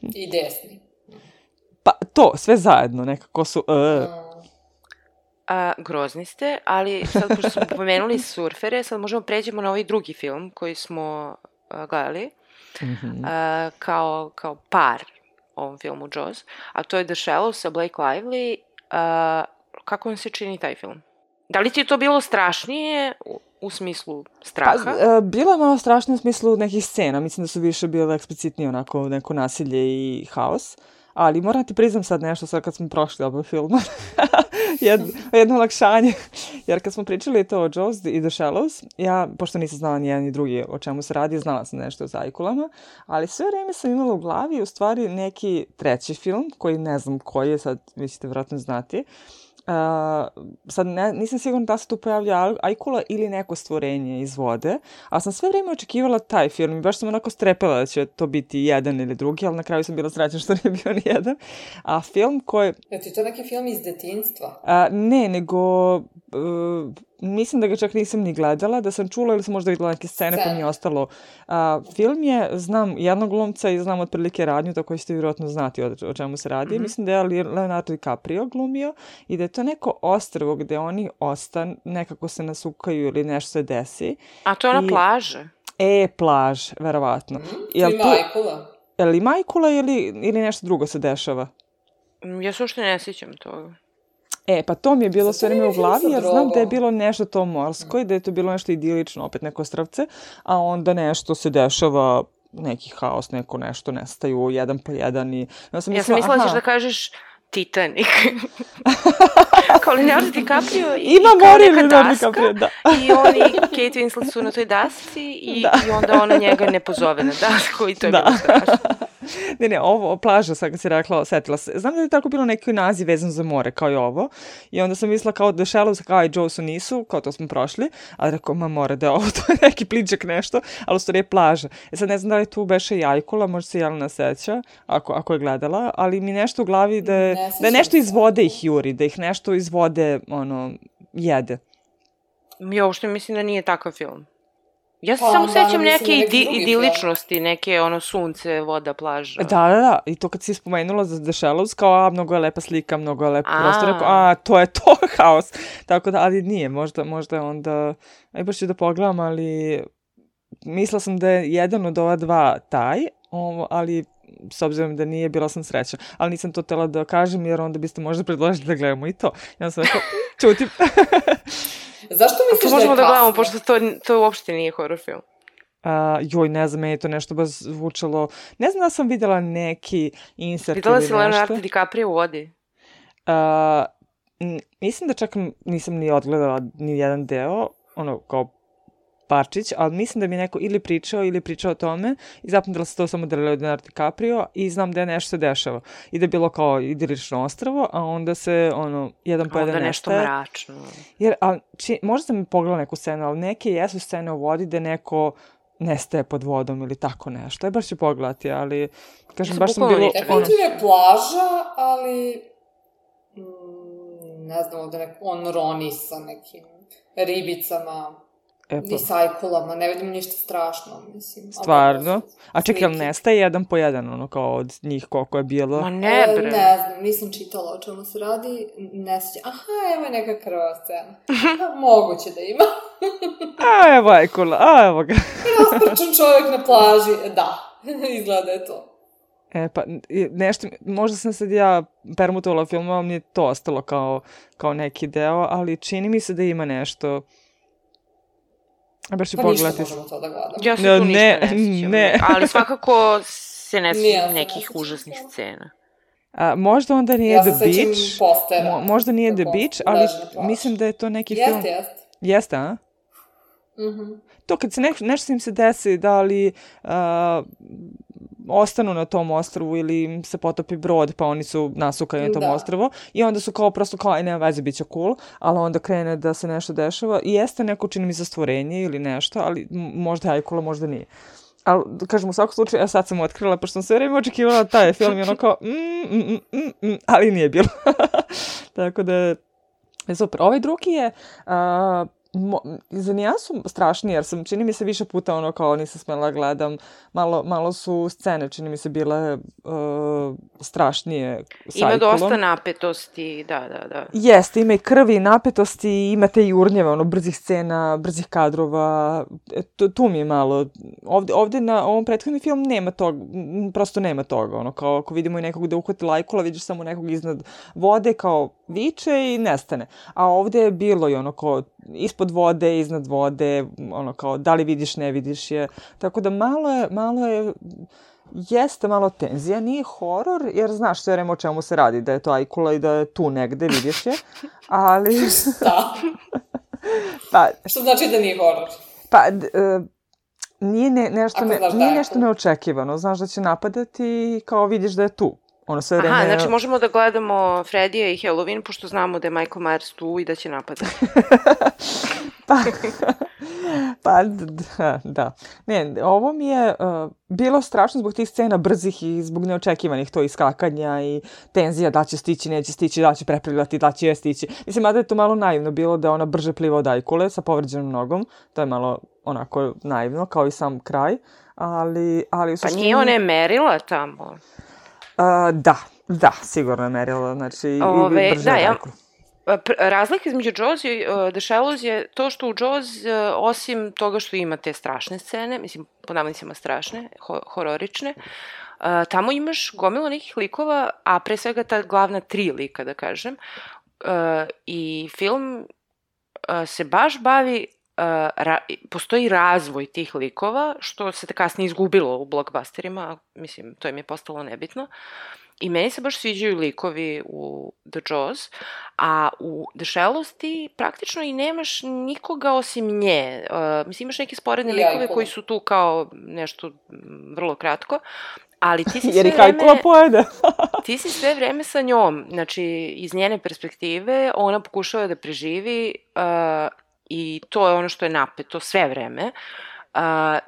I desni.
Pa to, sve zajedno, nekako su...
Grozni ste, ali sad pošto smo pomenuli surfere, sad možemo pređemo na ovaj drugi film koji smo gledali. Kao par ovom filmu Jaws, a to je The Shallows sa Blake Lively. Kako vam se čini taj film? Da li ti je to bilo strašnije u smislu straha?
Pa, bilo je malo strašnije u smislu nekih scena. Mislim da su više bile eksplicitnije onako neko nasilje i haos. Ali moram ti priznam sad nešto, sad kad smo prošli oba filma, jedno olakšanje, jer kad smo pričali to o Jaws i The Shallows, ja, pošto nisam znala ni jedan ni drugi o čemu se radi, znala sam nešto o zajkulama, ali sve vreme sam imala u glavi u stvari neki treći film, koji ne znam koji je, sad vi ćete vjerojatno znati. Sad nisam sigurna da se tu pojavlja ajkula ili neko stvorenje iz vode, ali sam sve vrijeme očekivala taj film i baš sam onako strepela da će to biti jedan ili drugi, ali na kraju sam bila srećna što nije bio ni jedan. A film koji...
Je ti to neki film iz detinjstva?
Ne, nego... mislim da ga čak nisam ni gledala, da sam čula ili sam možda vidjela neke scene pa mi je ostalo. Film je, znam jednog glumca i znam otprilike radnju, tako ćete vjerojatno znati o čemu se radi. Mislim da je Leonardo DiCaprio glumio i da je to neko ostrvo gde oni nekako se nasukaju ili nešto se desi.
A to je na plaže?
Plaž, verovatno.
Ima ajkula?
Je li ima ajkula ili nešto drugo se dešava?
Ja se uopšte ne sjećam toga.
Pa to mi je bilo sve vreme u glavi, jer znam da je bilo nešto to morsko i da je to bilo nešto idilično, opet neko ostrvce, a onda nešto se dešava, neki haos, nešto nestaju, jedan po jedan i...
Ja sam mislila da ćeš da kažeš Titanic. kao Leonardo DiCaprio
Ima
kao
more
neka
Leonardo
daska
DiCaprio, da.
i oni Kate Winslet su na toj dasci i onda ona njega ne pozove na dasku i to je bilo strašno.
Ne, ovo, plaža, sad kad si rekla, setila se. Znam da je tako bilo neki naziv vezan za more, kao i ovo. I onda sam mislila kao The Shallows, kao i Jaws nisu, kao to smo prošli. Ali rekao, more, da je ovo, to je neki pličak nešto, ali u stvari je plaža. Sad ne znam da li tu beše i Ajkula, možda se Jelena seća, ako je gledala, ali mi nešto u glavi da je nešto iz vode ih juri, da ih nešto iz vode, jede.
Ja uopšte mislim da nije takav film. Ja se samo sećam neke idiličnosti, neke sunce, voda, plaža.
Da. I to kad si spomenula za The Shallows, kao, mnogo je lepa slika, mnogo je lepa prostor, rekao, to je to haos. Tako da, ali nije, možda je onda, baš ću da pogledam, ali mislila sam da je jedan od ova dva taj, ali s obzirom da nije, bila sam sreća. Ali nisam to htjela da kažem, jer onda biste možda predložili da gledamo i to. Ja sam rekao, čutim.
Zašto misliš da je kasno?
Možemo da gledamo, pošto to uopšte nije horror film.
Ne znam, meni je to nešto baš zvučalo. Ne znam da sam videla neki insert
videla
ili nešto.
Videla si Leonardo DiCaprio u vodi?
Mislim da čak nisam ni odgledala ni jedan deo, kao parčić, ali mislim da mi neko ili pričao o tome i zapamtila se to samo da je Leonardo DiCaprio i znam da je nešto se dešava. I da je bilo kao idilično ostrvo, a onda se, jedan po jedan
onda nešto mračno.
Jer, možda sam mi pogledala neku scenu, ali neke jesu scene u vodi da neko nestaje pod vodom ili tako nešto. Baš ću pogledati, ali kažem, baš sam bilo...
Definitivno je plaža, ali ne znam, da on roni sa nekim ribicama, i sajkulama, ne vidim ništa strašno, mislim.
Stvarno? A čekaj, ali nestaje jedan po jedan, kao od njih koliko je bilo?
Ma ne, bre.
Ne znam, nisam čitala o čemu se radi, ne sjećam. Aha, evo je neka krvava scena. Moguće da ima.
Evo Ajkula, evo ga.
Rasprčan čovjek na plaži, da, izgleda je to.
Pa nešto, možda sam sad ja permutovala film, ali mi je to ostalo kao neki deo, ali čini mi se da ima nešto...
Pa ništa možemo to da gledamo.
Ja se tu ništa ne sjećam. Ali svakako se ne sjećam nekih užasnih scena.
Možda onda nije The Beach.
Ja se sećam postera.
Možda nije The Beach, ali mislim da je to neki film. Jeste, a? To kad se nešto im se desi, da li ostanu na tom ostrvu ili im se potopi brod, pa oni su nasukani na tom ostrvu i onda su prosto nema veze, bit će cool, ali onda krene da se nešto dešava i jeste neko, čini mi za stvorenje ili nešto, ali možda je Ajkula, možda nije. Ali, kažem, u svakom slučaju, sad sam otkrila, pošto sam sve vreme očekivala taj film i kao ali nije bilo. Tako da je super. Ovaj drugi je... za nijansu strašniji, jer čini mi se više puta kao nisam smjela gledam, malo su scene, čini mi se bile strašnije sa Ajkulom.
Ima dosta napetosti, da.
Jeste, ima i krvi i napetosti, imate i urnjeve, brzih scena, brzih kadrova, tu mi je malo. Ovdje na ovom prethodnom filmu nema toga, prosto nema toga, kao ako vidimo i nekog da uhvatila Ajkula, vidiš samo nekog iznad vode, kao viče i nestane. A ovdje je bilo i kao ispod vode, iznad vode, kao da li vidiš, ne vidiš je. Tako da malo je, jeste malo tenzija, nije horor, jer znaš sve vreme o čemu se radi, da je to Ajkula i da je tu negde, vidiš je, ali...
Da. Što znači da nije horor?
Nije nešto neočekivano, znaš da će napadati i kao vidiš da je tu.
Znači možemo da gledamo Freddyja i Halloween, pošto znamo da je Michael Myers tu i da će napadati.
Da. Ne, ovo mi je bilo strašno zbog tih scena brzih i zbog neočekivanih to iskakanja i tenzija da će stići, neće stići, da će preplivati, da će stići. Mislim, da je to malo naivno bilo da ona brže pliva od Ajkule sa povređenom nogom. To je malo onako naivno, kao i sam kraj. Ali u suštini...
Pa nije ona je merila tamo?
Da, sigurno je merila, znači i brže od Ajkule.
Razlika između Jaws i The Shallows je to što u Jaws, osim toga što ima te strašne scene, mislim, po navodnicima strašne, hororične, tamo imaš gomilu nekih likova, a pre svega ta glavna 3 lika, da kažem, i film se baš bavi, postoji razvoj tih likova, što se kasnije izgubilo u blockbusterima, mislim, to im je postalo nebitno. I meni se baš sviđaju likovi u The Jaws, a u The Shallows ti praktično i nemaš nikoga osim nje. Mislim, imaš neke sporedne likove koji su tu kao nešto vrlo kratko, ali ti si sve
Jer ih Ajkula pojede.
ti si sve vreme sa njom. Znači, iz njene perspektive ona pokušava da preživi i to je ono što je napeto sve vreme.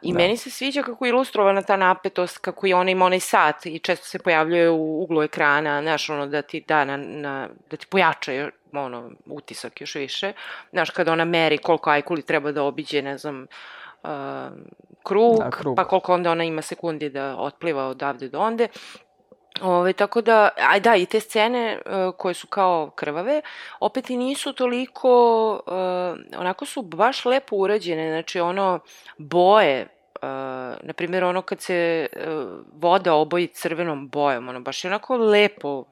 I meni se sviđa kako je ilustrovana ta napetost, kako je ona ima onaj sat i često se pojavljuje u uglu ekrana, znaš, ono, da ti da da ti pojača ono, utisak još više. Znaš, kada ona meri koliko Ajkuli treba da obiđe, ne znam, krug, pa koliko onda ona ima sekundi da otpliva odavde do onde. Tako da, i te scene koje su kao krvave, opet i nisu toliko, onako su baš lepo urađene, znači ono, boje, na primjer ono kad se voda oboji crvenom bojom, ono baš je onako lepo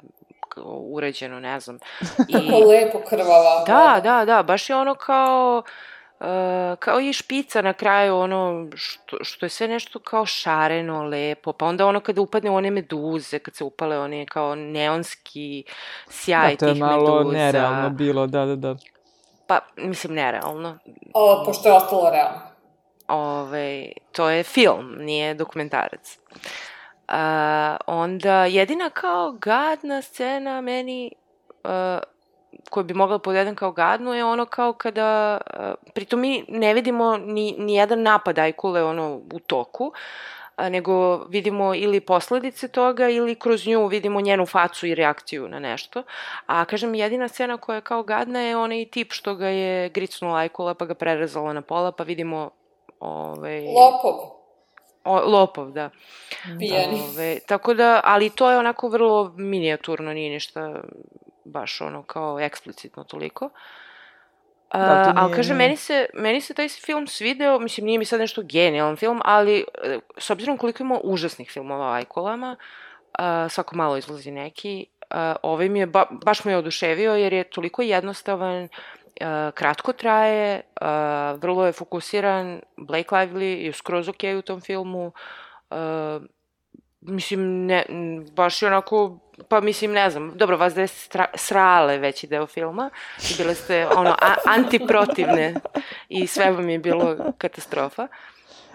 urađeno, ne znam.
Kako lepo krvava.
Da, baš je ono kao i špica na kraju, ono, što je sve nešto kao šareno, lepo, pa onda ono kada upadne u one meduze, kad se upale one kao neonski sjaj tih meduza.
To je malo nerealno bilo, da.
Pa, mislim, nerealno.
Pošto je ostalo realno.
To je film, nije dokumentarac. Onda, jedina kao gadna scena meni... koju bi mogla podjedem kao gadnu je ono kao kada, pritom mi ne vidimo ni jedan napad Ajkule ono u toku, nego vidimo ili posledice toga ili kroz nju vidimo njenu facu i reakciju na nešto. A kažem, jedina scena koja je kao gadna je onaj tip što ga je gricnula Ajkula pa ga prerezala na pola pa vidimo Lopov, da.
Pijani.
Tako da, ali to je onako vrlo minijaturno, nije ništa baš ono kao eksplicitno toliko. Ali kažem, meni se taj film svideo, mislim, nije mi sad nešto genijalan film, ali s obzirom koliko ima užasnih filmova o Ajkulama, svako malo izlazi neki, ovaj mi je, baš me je oduševio jer je toliko jednostavan, kratko traje, vrlo je fokusiran, Blake Lively je skroz ok u tom filmu, mislim, baš je onako, pa mislim, ne znam, dobro, vas da je srale veći deo filma, bile ste, ono, antiprotivne i sve vam je bilo katastrofa.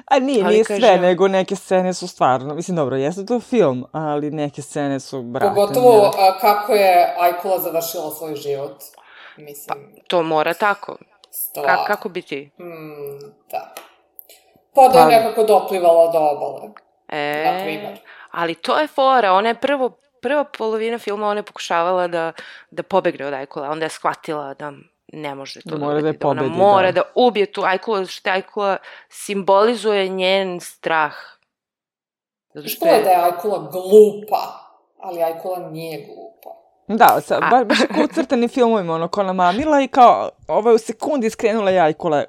A nije sve, nego neke scene su stvarno, mislim, dobro, jeste to film, ali neke scene su, brate.
Pogotovo kako je Ajkula završila svoj život, mislim.
Pa, to mora tako. Kako bi ti?
Da. Pa da je nekako doplivala do obale. Na primjer.
Ali to je fora, ona je prva polovina filma, ona je pokušavala da pobegne od Ajkula, onda je shvatila da ne može to da ubiti, da ona mora da ubije tu Ajkula, što Ajkula simbolizuje njen strah.
Što je da je Ajkula glupa, ali Ajkula nije glupa.
Da, baš je kao u crtanim filmovima, ono, ko namamila i kao, u sekundi skrenula je Ajkula.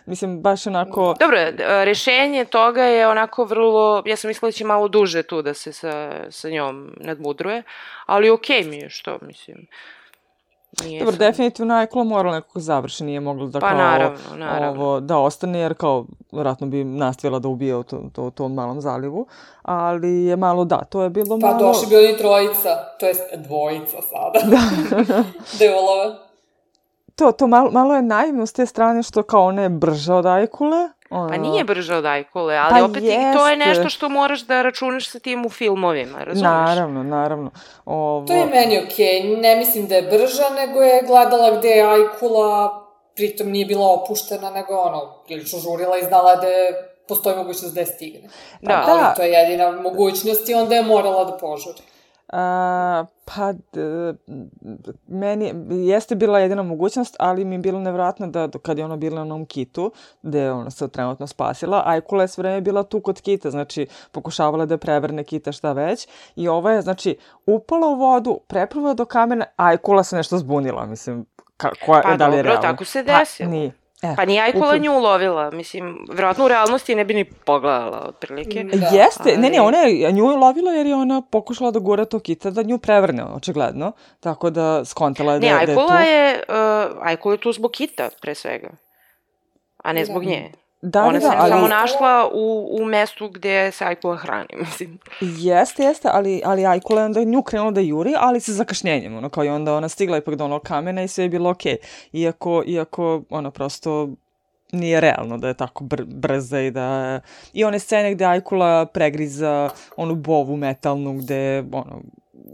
Mislim, baš onako...
Dobro, rešenje toga je onako vrlo, ja sam mislila da će malo duže tu da se sa njom nadmudruje, ali okej mi je, što, mislim...
Dobro, definitivno Ajkula morala nekako završi, nije mogla da naravno. Da ostane, jer kao, vjerojatno bi nastavila da ubije u tom malom zalivu, ali je malo, to je bilo malo...
Pa došli bi oni trojica, to jest dvojica sada, Devolove.
To malo je naivno s te strane što kao ona je brža od Ajkule.
Pa nije brža od Ajkule, ali opet to je nešto što moraš da računaš sa tim u filmovima, razumiješ?
Naravno.
To je meni okej, ne mislim da je brža, nego je gledala gde je Ajkula, pritom nije bila opuštena, nego prilično žurila i znala da postoji mogućnost da je stigne. Ali to je jedina mogućnost i onda je morala da požuri.
Meni jeste bila jedina mogućnost, ali mi je bilo nevjerojatno da kad je ona bila na onom kitu, gde je ona se trenutno spasila, Ajkula je sve vreme bila tu kod kita, znači pokušavala da prevrne kita šta već i ova je, znači, upala u vodu, preplula do kamena, Ajkula se nešto zbunila, mislim, da li je realno?
Tako se desilo. Pa nije Ajkula nju ulovila, mislim, vjerojatno u realnosti ne bi ni pogledala, otprilike.
Jeste, ona je nju ulovila jer je ona pokušala da gura to kita da nju prevrne, očigledno, tako da skontala je da je tu.
Ajkula je tu zbog kita, pre svega, a ne zbog nje. Ona se samo našla u mestu gde se Ajkula hrani, mislim.
Jeste, ali Ajkula je onda nju krenula da juri, ali sa zakašnjenjem, ono, kao i onda ona stigla ipak do onog kamena i sve je bilo okej. Iako, ono, prosto nije realno da je tako brza i da... I one scene gde Ajkula pregriza onu bovu metalnu gde, ono,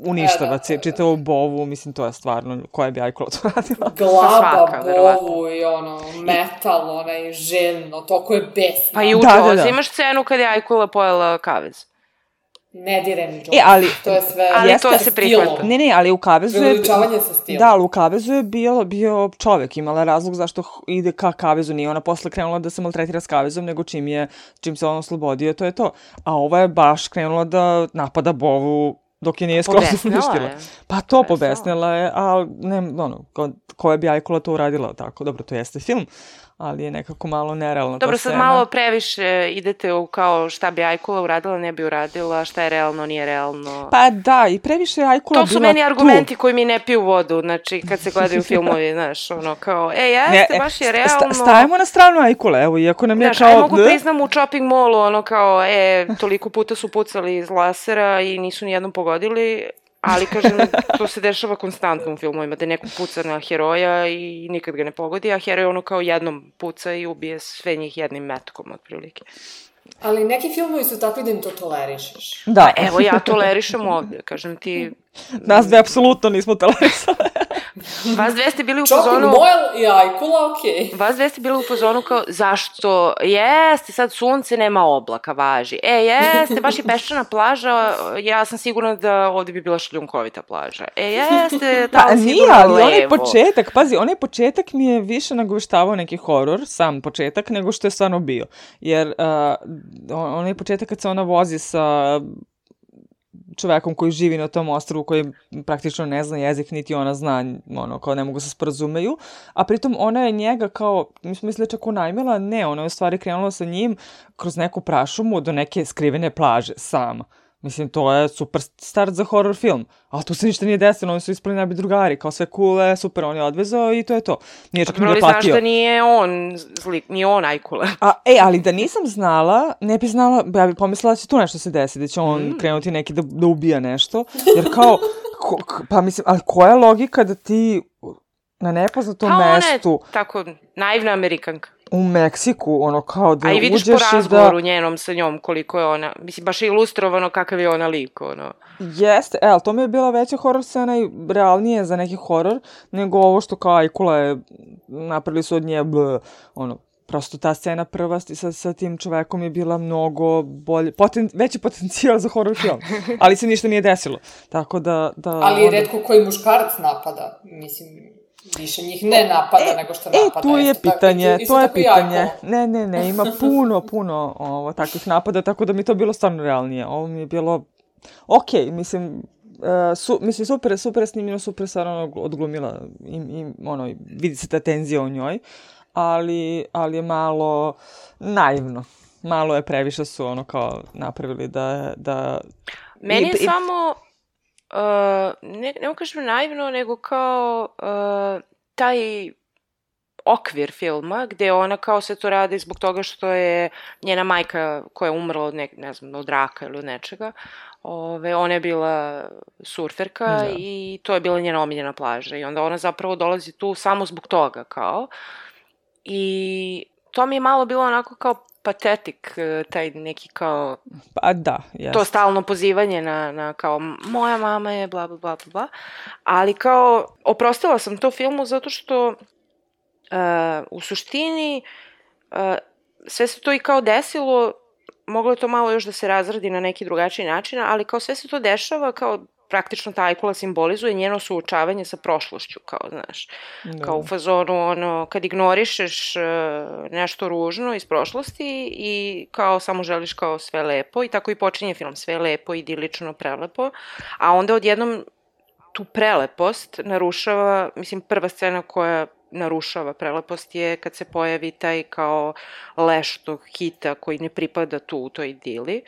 uništava čitavu bovu, mislim, to je stvarno, koja bi Ajkula to radila?
Glaba, bovu i ono, metal, onaj željno, toliko je besno.
Pa i u Džozi imaš scenu kada je Ajkula pojela kavez.
Ne direm Džozi, to je sve...
Ali to se prihvata.
Ne, ali u kavezu je...
Priličavanje sa stilom.
Da, ali u kavezu je bio čovek, imala razlog zašto ide ka kavezu, nije ona posle krenula da se maltretira s kavezom, nego čim se on oslobodio, to je to. A ova je baš krenula da napada bovu dok je nije skroz uništila. Pa to pobesnila je, ali ne, ono, koja bi Ajkula to uradila tako. Dobro, to jeste film, ali je nekako malo nerealno.
Dobro, sad malo previše idete u kao šta bi Ajkula uradila, ne bi uradila, šta je realno, nije realno.
Pa da, i previše je Ajkula bila tu.
To su meni argumenti koji mi ne piju vodu, znači kad se gledaju filmovi, znaš, ono kao, jeste, baš je realno.
Stavimo na stranu Ajkule, evo, iako nam je kao...
Znaš, mogu priznam u shopping mallu, ono kao, toliko puta su pucali iz lasera i nisu nijednom pogodili, ali, kažem, to se dešava konstantno u filmovima, da neko puca na heroja i nikad ga ne pogodi, a heroj ono kao jednom puca i ubije sve njih jednim metkom, otprilike.
Ali neki filmovi su takvi da im to tolerišeš.
Da.
Pa evo, ja tolerišem ovdje, kažem ti...
Nas dve apsolutno nismo tolerisali.
Vas dve ste bili u fazonu...
Shopping mall i Ajkula, okej.
Vas dve ste bili u fazonu kao, zašto? Jeste, sad sunce, nema oblaka, važi. Jeste, baš je peščana plaža, ja sam sigurna da ovdje bi bila šljunkovita plaža. Jeste, tamo sigurno levo.
Ali onaj početak, pazi, onaj početak mi je više nagoveštavao neki horor, sam početak, nego što je stvarno bio. Jer onaj početak kad se ona vozi sa čovekom koji živi na tom ostrvu, koji praktično ne zna jezik, niti ona zna, ono, kao ne mogu se sporazumeju, a pritom ona je njega kao, mi smo mislili čak unajmila, ne, ona je u stvari krenula sa njim kroz neku prašumu do neke skrivene plaže, sama. Mislim, to je super start za horror film. Ali tu se ništa nije desilo, oni su ispali najbolji drugari, kao sve coole, super, on je odvezao i to je to. Nije čak ni da platio.
Znaš da nije on zlik, nije on Ajkula.
Ali da nisam znala, ne bi znala, ja bi pomislila da će tu nešto se desiti, da će on krenuti neki da ubija nešto. Jer kao, pa mislim, ali koja je logika da ti na nepoznatom mestu...
Ona je tako naivna Amerikanka.
U Meksiku, ono kao da uđeš i da...
A i vidiš po razgovoru njenom sa njom koliko je ona, mislim, baš je ilustrovano kakav je ona lik, ono.
Jeste, ali to mi je bila veća horor scena i realnije za neki horor, nego ovo što kao Ajkula je, napravili su od nje, ono, prosto ta scena prva sa tim čovekom je bila mnogo bolje, veći potencijal za horor film, ali se ništa nije desilo, tako da...
Ali redko koji muškarac napada, mislim... Više njih ne napada nego što napada.
To je pitanje. Ne, ima puno takvih napada, tako da mi to bilo stvarno realnije. Ovo mi je bilo okej, mislim, super snimljeno, super stvarno odglumila i ono, vidi se ta tenzija u njoj, ali je malo naivno. Malo je previše su ono kao napravili da...
Meni je samo... ne mogu kažem naivno, nego kao taj okvir filma, gde ona kao se to radi zbog toga što je njena majka koja je umrla od ne znam, od raka ili od nečega, ona je bila surferka i to je bila njena omiljena plaža i onda ona zapravo dolazi tu samo zbog toga kao i to mi je malo bilo onako kao patetik, taj neki kao...
Pa da, jasno.
To stalno pozivanje na kao, moja mama je bla, bla, bla, bla, ali kao, oprostila sam to filmu zato što u suštini sve se to i kao desilo, moglo je to malo još da se razradi na neki drugačiji način, ali kao sve se to dešava kao praktično ta Ajkula simbolizuje njeno suočavanje sa prošlošću, kao, znaš, kao u fazonu, ono, kad ignorišeš nešto ružno iz prošlosti i kao samo želiš kao sve lepo i tako i počinje film, sve lepo, idilično, prelepo, a onda odjednom tu prelepost narušava, mislim, prva scena koja narušava prelepost je kad se pojavi taj kao leš tog hita koji ne pripada tu u toj idili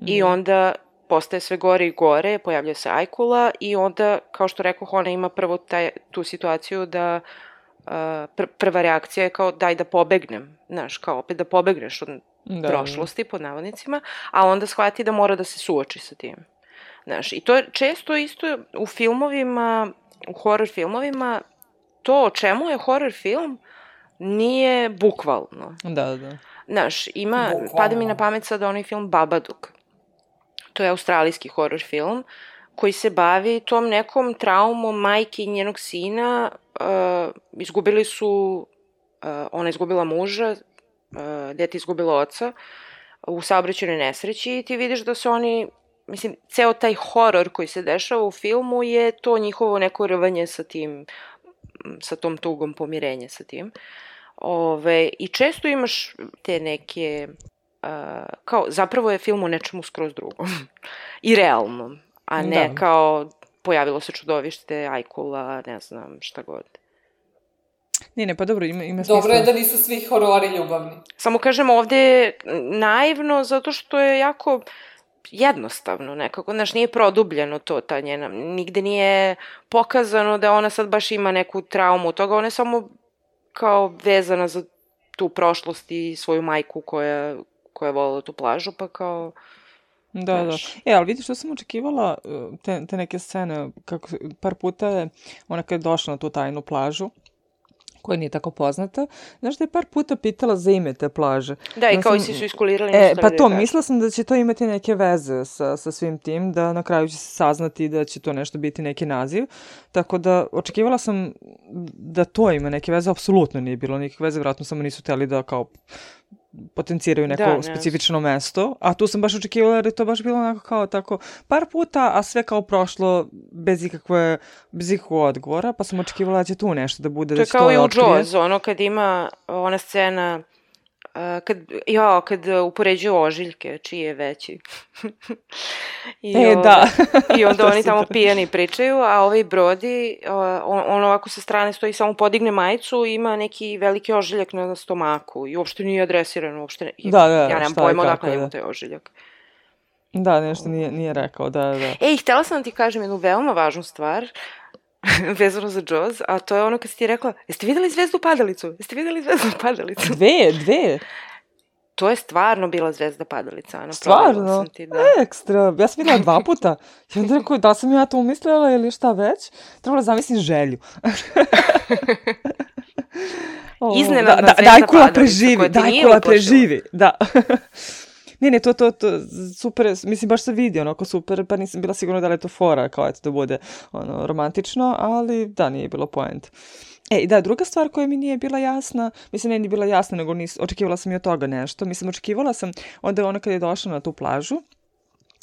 i onda postaje sve gore i gore, pojavlja se Ajkula i onda, kao što rekoh, ona ima prvo tu situaciju da prva reakcija je kao daj da pobegnem, znaš, kao opet da pobegneš od prošlosti, pod navodnicima, a onda shvati da mora da se suoči sa tim. Znaš, i to je često isto u filmovima, u horror filmovima, to o čemu je horror film nije bukvalno.
Da.
Znaš, pada mi na pamet sad onaj film Babadook. To je australijski horror film koji se bavi tom nekom traumom majke i njenog sina. Izgubili su, ona izgubila muža, dete izgubilo oca u saobraćajnoj nesreći i ti vidiš da se oni, mislim, ceo taj horor koji se dešava u filmu je to njihovo neko rvanje sa tim, sa tom tugom, pomirenje sa tim. I često imaš te neke, kao, zapravo je film o nečemu skroz drugom i realnom, a ne kao pojavilo se čudovište, ajkula, ne znam, šta god.
Ne, pa dobro, ima smisla.
Dobro je da nisu svi horori ljubavni.
Samo kažem, ovde je naivno zato što je jako jednostavno nekako, znaš, nije produbljeno to, ta njena, nigde nije pokazano da ona sad baš ima neku traumu od toga, ona je samo kao vezana za tu prošlost i svoju majku koja je volila tu plažu, pa kao...
Da. Ali vidiš što sam očekivala, te neke scene, kako par puta je ona kad je došla na tu tajnu plažu, koja nije tako poznata, znaš da je par puta pitala za ime te plaže.
Da, i kao si su iskulirali nešto.
Pa to, mislila sam da će to imati neke veze sa svim tim, da na kraju će se saznati da će to nešto biti neki naziv, tako da očekivala sam da to ima neke veze, apsolutno nije bilo nekih veze, vjerojatno samo nisu hteli da kao potenciraju neko specifično mesto, a tu sam baš očekivala jer je to baš bilo onako kao tako par puta, a sve kao prošlo bez ikakvog odgovora, pa sam očekivala da će tu nešto da bude.
To je kao i u Jaws, ono kad ima ona scena kad upoređuju ožiljke, čiji je veći. I onda oni tamo pijani pričaju, a ovaj Brody, on ovako sa strane stoji, samo podigne majicu i ima neki veliki ožiljak na stomaku i uopšte nije adresiran, uopšte ja nemam pojma odakle ima taj ožiljak.
Da, nešto nije rekao, da.
Ej, htela sam da ti kažem jednu veoma važnu stvar, vezano za Jaws, a to je ono kad si ti rekla, jeste videli zvezdu padalicu?
Dve?
To je stvarno bila zvezda padalica. Ano,
stvarno? Ekstra. Ja sam videla 2 puta. I onda rekao, da sam ja to umislila ili šta već? Trebala zamislim želju.
Iznenadna zvezda padalica.
Dajkula preživi. Da. Ne, to super, mislim, baš se vidi onako super, pa nisam bila sigurna da li je to fora, kao eto da bude romantično, ali da, nije bilo point. I da, druga stvar koja mi nije bila jasna, mislim, nije bila jasna, nego očekivala sam i od toga nešto, mislim, očekivala sam, onda ona kad je došla na tu plažu,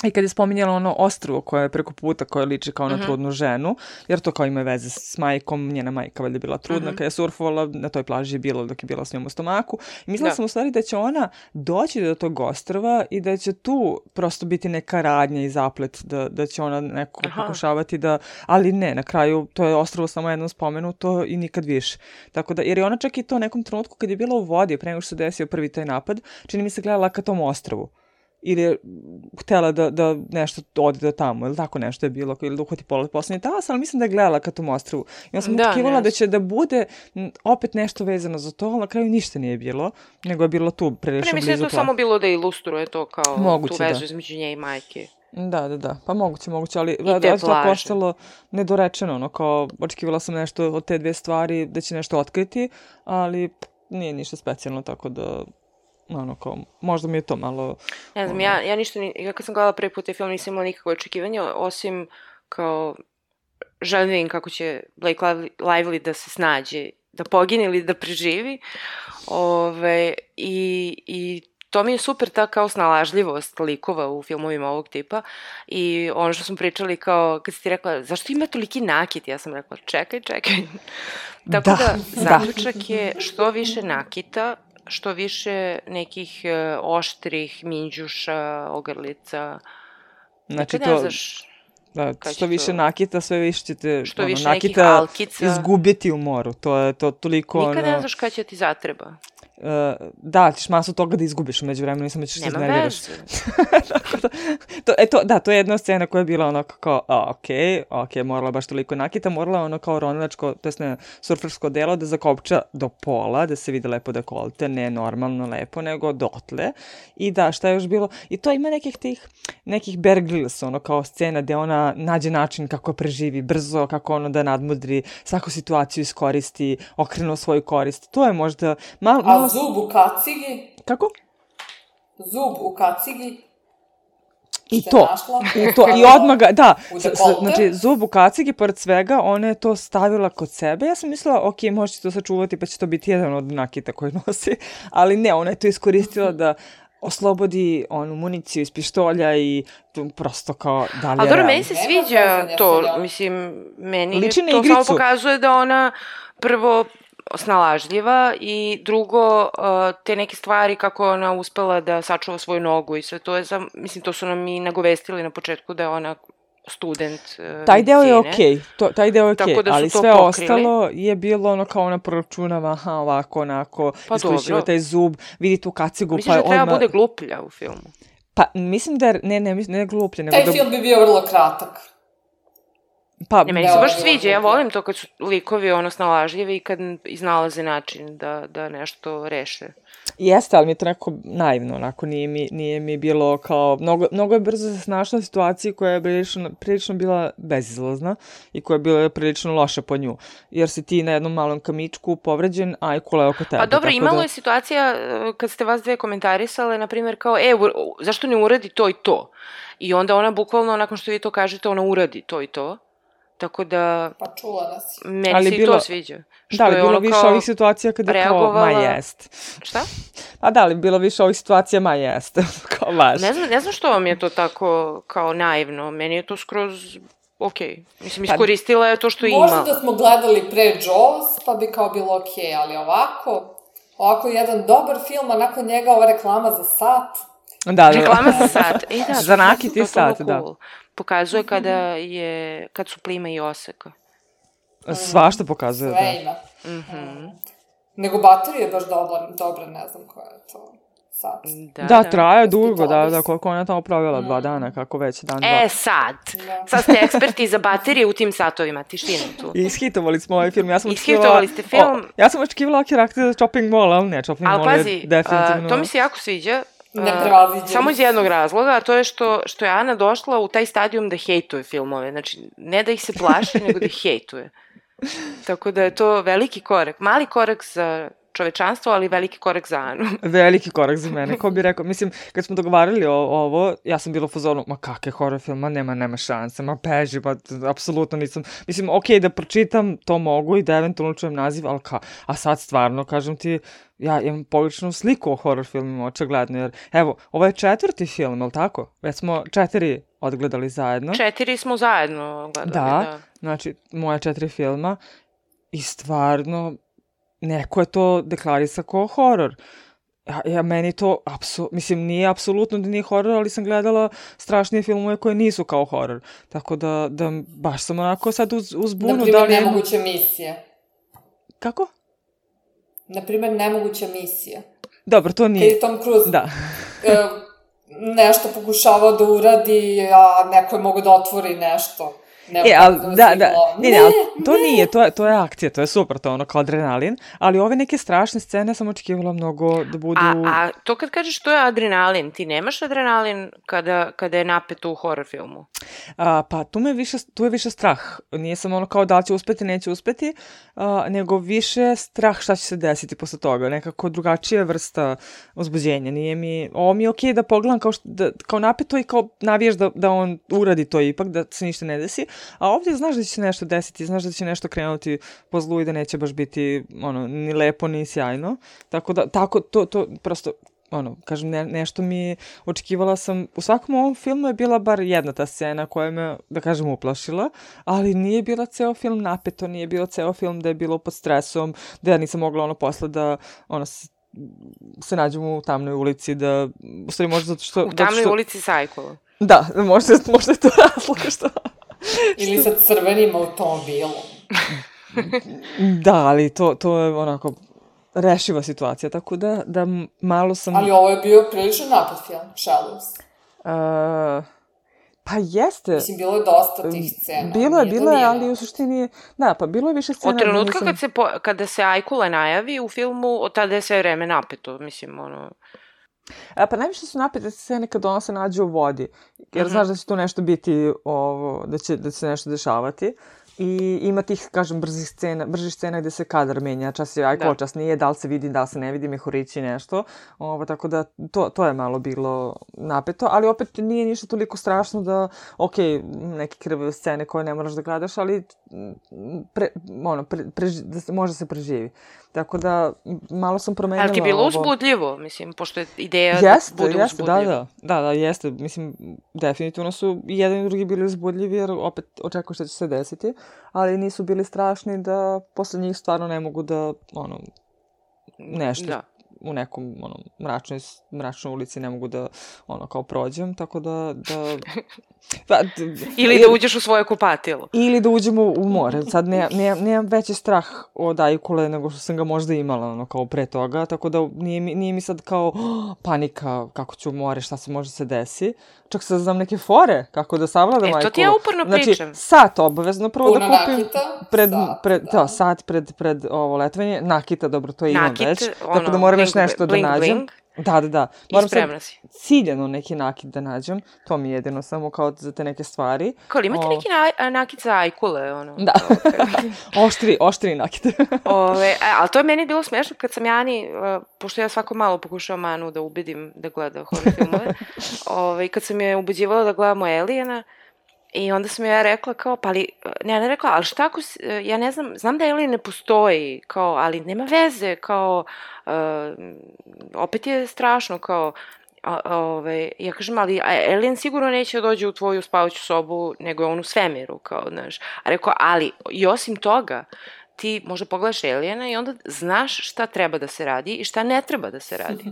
i kad je spominjala ono ostrvo koje je preko puta, koje liči kao na trudnu ženu, jer to kao ima veze s majkom, njena majka valjda bila trudna, kad je surfovala, na toj plaži je bila dok je bila s njom u stomaku. I mislila sam u stvari da će ona doći do tog ostrva i da će tu prosto biti neka radnja i zaplet, da će ona neko pokušavati da, ali ne, na kraju to je ostrvo samo jednom spomenuto i nikad više. Tako da, jer je ona čak i to nekom trenutku kad je bila u vodi, pre nego što se desio prvi taj napad, čini mi se gledala ka tom ostrvu. Ili je htjela da nešto ode do tamo, ili tako nešto je bilo, ili da uhvati poslednji talas, ali mislim da je gledala ka tom ostrvu. I onda sam očekivala da će da bude opet nešto vezano za to, ali na kraju ništa nije bilo, nego je bilo tu prilično blizu.
Mislim da je to samo bilo da ilustruje to kao moguće, tu vezu između nje i majke.
Da, pa moguće, ali da je to postalo nedorečeno, ono kao očekivala sam nešto od te 2 stvari, da će nešto otkriti, ali nije ništa specijalno, tako da ono kao, možda mi je to malo...
Ne znam, ja ništa, kad sam gledala prvi put taj film, nisam imala nikakve očekivanja, osim kao želim da vidim kako će Blake Lively da se snađe, da pogine ili da preživi. I to mi je super ta kao snalažljivost likova u filmovima ovog tipa i ono što smo pričali kao, kad si ti rekla, zašto ima toliki nakit? Ja sam rekla, čekaj. Tako da, zaključak je što više nakita, što više nekih oštrih minđuša, ogrlica.
Znači to... Da, što više nakita, sve više ćete
što više nakita
izgubiti u moru. To je to toliko...
Nikad ne znaš kada će ti zatreba.
da, ćeš masu toga da izgubiš umeđu vremenu i samo ćeš se iznerviraš. To je jedna scena koja je bila onako kao, okej, morala baš toliko nakita, morala ono kao ronilačko, to jest ne, surfersko delo da zakopča do pola, da se vide lepo dekolte, ne normalno lepo, nego dotle. I da, šta je još bilo? I to ima nekih Bear Grylls, ono kao scena gde ona nađe način kako preživi brzo, kako ono da nadmudri, svaku situaciju iskoristi, okrenu svoju korist. To je možda
A zub u kacigi?
Kako?
Zub u kacigi?
I odmah ga, da, znači zub u kacigi, pored svega, ona je to stavila kod sebe. Ja sam mislila, ok, možete to sačuvati pa će to biti jedan od nakita koji nosi, ali ne, ona je to iskoristila da oslobodi onu municiju iz pištolja i prosto kao dalje.
Ali dobro, meni se sviđa to, mislim, meni to samo pokazuje da ona prvo snalažljiva i drugo te neke stvari kako ona uspela da sačuva svoju nogu i sve to je, mislim, to su nam i nagovestili na početku da je ona student
taj deo je okej, ali sve
pokrili.
Ostalo je bilo ono kao ona proračunava, ovako, onako, iskorišćiva taj zub, vidi tu kacigu.
Misliš da treba bude gluplja u filmu?
Pa mislim da ne gluplja.
Taj film bi bio vrlo kratak.
Meni se baš sviđa, ja volim to kad su likovi snalažljivi i kad iznalaze način da nešto reše.
Jeste, ali mi je to nekako naivno, onako nije mi bilo kao, mnogo je brzo se snašla u situaciji koja je prilično bila bezizlazna i koja je bila prilično loša po nju, jer si ti na jednom malom kamičku povređen, a i kula je oko tebe.
Pa dobro, imalo je situacija kad ste vas dve komentarisale, na primjer kao, zašto ne uradi to i to? I onda ona bukvalno, nakon što vi to kažete, ona uradi to i to. Tako da...
Pa čula nas.
Meni se i to sviđa.
Da, ali bilo više ovih situacija kada je kao, ma jest.
Šta?
Pa da, ali bilo više ovih situacija, ma jest. Kao baš.
Ne znam što vam je to tako kao naivno. Meni je to skroz okej. Mislim, iskoristila je to što ima.
Možda da smo gledali pre Jaws, pa bi kao bilo okej, ali ovako jedan dobar film, a nakon njega ova reklama za sat.
Da.
Reklama za sat.
Za nakiti sat, da.
Pokazuje kad su plima i oseka.
Svašta pokazuje,
sve ima. Nego baterija je baš dobra, ne znam koja je to sat.
Da, traje dugo, da, koliko ona tamo provjela 2 dana, kako već dan, 2.
Sad ste eksperti za baterije u tim satovima, tiština tu.
Ishitovali smo ovaj film,
Ishitovali ste film.
Ja sam očekivala karakter za Chopping Mall, ali ne, Chopping Mall je definitivno...
Ali pazi, to mi se jako sviđa.
Samo
iz jednog razloga, a to je što je Ana došla u taj stadijum da hejtuje filmove. Znači, ne da ih se plaši, nego da ih hejtuje. Tako da je to veliki korak. Mali korak za čovečanstvo, ali veliki korak za Anu.
Veliki korak za mene, ko bi rekao. Mislim, kad smo dogovarali ovo, ja sam bila u fazonu, ma kakve horror film, nema šanse, ma beži, pa apsolutno nisam. Mislim, okej, da pročitam, to mogu i da eventualno čujem naziv, ali a sad stvarno, kažem ti, ja imam pogrešnu sliku o horror filmima, očigledno, jer evo, ovo je 4. film, ali tako? Već smo 4 odgledali zajedno. 4 smo zajedno gledali, da. Znači, moja 4 filma i stvarno, neko je to deklarisa kao horor. Meni to, mislim, nije apsolutno da nije horor, ali sam gledala strašnije filmove koje nisu kao horor. Tako da baš sam onako sad uzbunu.
Naprimjer, Nemoguća misija.
Kako?
Naprimjer, Nemoguća misija.
Dobro, to nije.
Kad je Tom Cruise
da.
nešto pokušavao da uradi, a neko je mogo da otvori nešto.
To nije, to je akcija, to je super, to je ono kao adrenalin, ali ove neke strašne scene sam očekivala mnogo da budu... A to kad kažeš to je adrenalin, ti nemaš adrenalin kada je napeto u horror filmu? Pa tu je više strah, nije samo ono kao da li će uspeti, neće uspeti, nego više strah šta će se desiti posle toga, nekako drugačija vrsta uzbuđenja, ovo mi je okej da pogledam kao napeto i kao navijaš da on uradi to ipak, da se ništa ne desi. A ovdje znaš da će se nešto desiti, znaš da će nešto krenuti po zlu i da neće baš biti ni lepo, ni sjajno. Tako da, to prosto, kažem, nešto mi očekivala sam, u svakom ovom filmu je bila bar jedna ta scena koja me, da kažem, uplašila, ali nije bila ceo film napeto, nije bilo ceo film da je bilo pod stresom, da ja nisam mogla posle da, se nađemo u tamnoj ulici, da, u stvari možda zato što... U tamnoj ulici Sajkova. Da, možda je to razlog što...
Ili sa crvenim automobilom.
Da, ali to je onako rešiva situacija, tako da malo sam...
Ali ovo je bio prilično napad film, Shallows.
Pa jeste.
Mislim, bilo je dosta tih scena.
Bilo je, ali u suštini... Da, pa bilo je više scena...
Od trenutka kada se Ajkula najavi u filmu, od tada je sve vreme napeto, mislim, ono...
Pa najviše su napete scene kad ona se nađe u vodi, jer znaš da će tu nešto biti, da će se nešto dešavati. I ima tih, kažem, bržih scena gde se kadar menja, čas je Ajkula, čas nije, da li se vidi, da li se ne vidi, mehurići nešto. Tako da to je malo bilo napeto, ali opet nije ništa toliko strašno da, neke krvave scene koje ne moraš da gledaš, ali može se preživi. Tako da, malo sam promenila ovo.
Ali ti je bilo uzbudljivo, mislim, pošto je ideja da bude uzbudljivo.
Da, jeste. Mislim, definitivno su i jedan i drugi bili uzbudljivi, jer opet očekuju što će se desiti, ali nisu bili strašni da posle njih stvarno ne mogu da, nešto u nekom, mračnoj ulici ne mogu da, kao prođem, tako da...
Ili da uđeš u svoje kupatilo.
Ili da uđemo u more. Sad nemam veći strah od Ajkule nego što sam ga možda imala, kao pre toga, tako da nije mi sad kao panika kako ću u more, šta se može se desi. Čak sad znam neke fore kako da savladam Ajkulu.
To ti ja uporno pričam.
Znači, sat obavezno prvo da kupim.
Nakita?
Sat pred ovo letovanje. Nakita, dobro, to imam već. Tako da moram još nešto da nađem. Da. Moram sad ciljano neki nakit da nađem. To mi je jedino samo kao za te neke stvari.
Kao li imate neki nakit za Ajkule?
Da. Oštri nakit.
Ali to je meni bilo smešno kad sam Jani, pošto ja svako malo pokušavam Anu da ubedim da gleda horror filmove, kad sam je ubeđivala da gledamo Aliena, i onda sam ja rekla kao, ne rekla, ali šta ako, ja ne znam da Alien ne postoji, kao, ali nema veze, kao, opet je strašno, kao, ja kažem, ali Alien sigurno neće dođe u tvoju spavaću sobu, nego je on u svemiru, kao, znaš. A rekao, ali i osim toga, ti možda pogledaš Aliena i onda znaš šta treba da se radi i šta ne treba da se radi.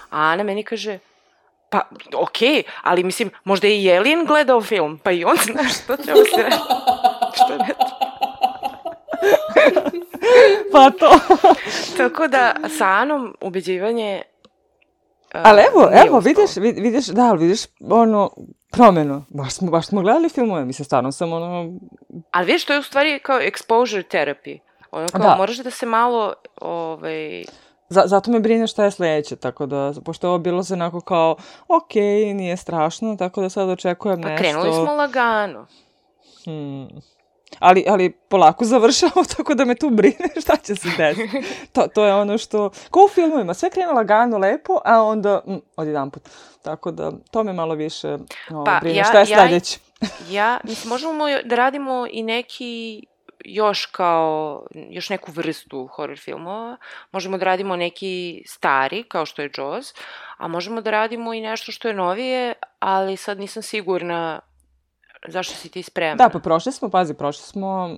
A Ana meni kaže, pa, ali mislim, možda je i Alien gledao film, pa i on zna što treba se radi. Što ne treba.
Pa to.
Tako da, sa Anom ubeđivanje...
Ali evo, vidiš, promenu. Baš smo gledali filmove, mislim, stvarno sam
Ali vidiš, to je u stvari kao exposure therapy. Kao, moraš da se malo,
Zato me brine šta je sledeće, tako da, pošto je ovo bilo se onako kao, nije strašno, tako da sad očekujem nešto.
Pa krenuli smo lagano.
Ali polako završamo, tako da me tu brine šta će se desiti. To je ono što, kao u filmovima, sve krene lagano, lepo, a onda odjedanput. Tako da, to me malo više brine. Šta je sledeće?
Mislim, možemo da radimo i neki... još neku vrstu horror filmova. Možemo da radimo neki stari, kao što je Jaws, a možemo da radimo i nešto što je novije, ali sad nisam sigurna zašto si ti spremna.
Da, pa prošli smo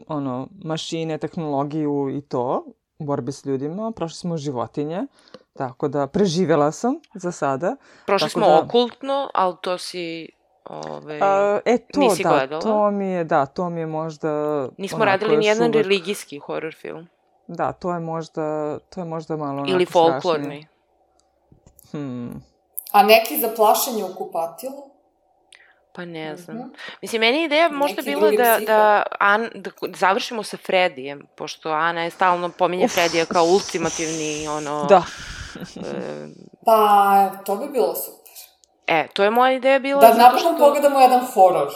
mašine, tehnologiju i to, u borbi s ljudima, prošli smo životinje, tako da preživjela sam za sada.
Prošli smo okultno, ali to si... nisi gledala?
To mi je možda...
Nismo radili nijedan religijski horror film.
Da, to je možda malo...
Ili folklorni.
A neki za plašenje u kupatilu?
Pa ne znam. Mislim, meni je ideja možda bila da završimo sa Fredijem, pošto Ana je stalno pominje Fredija kao ultimativni,
Da.
Pa, to bi bilo super.
To je moja ideja bila...
Da napokon pogledamo jedan horor.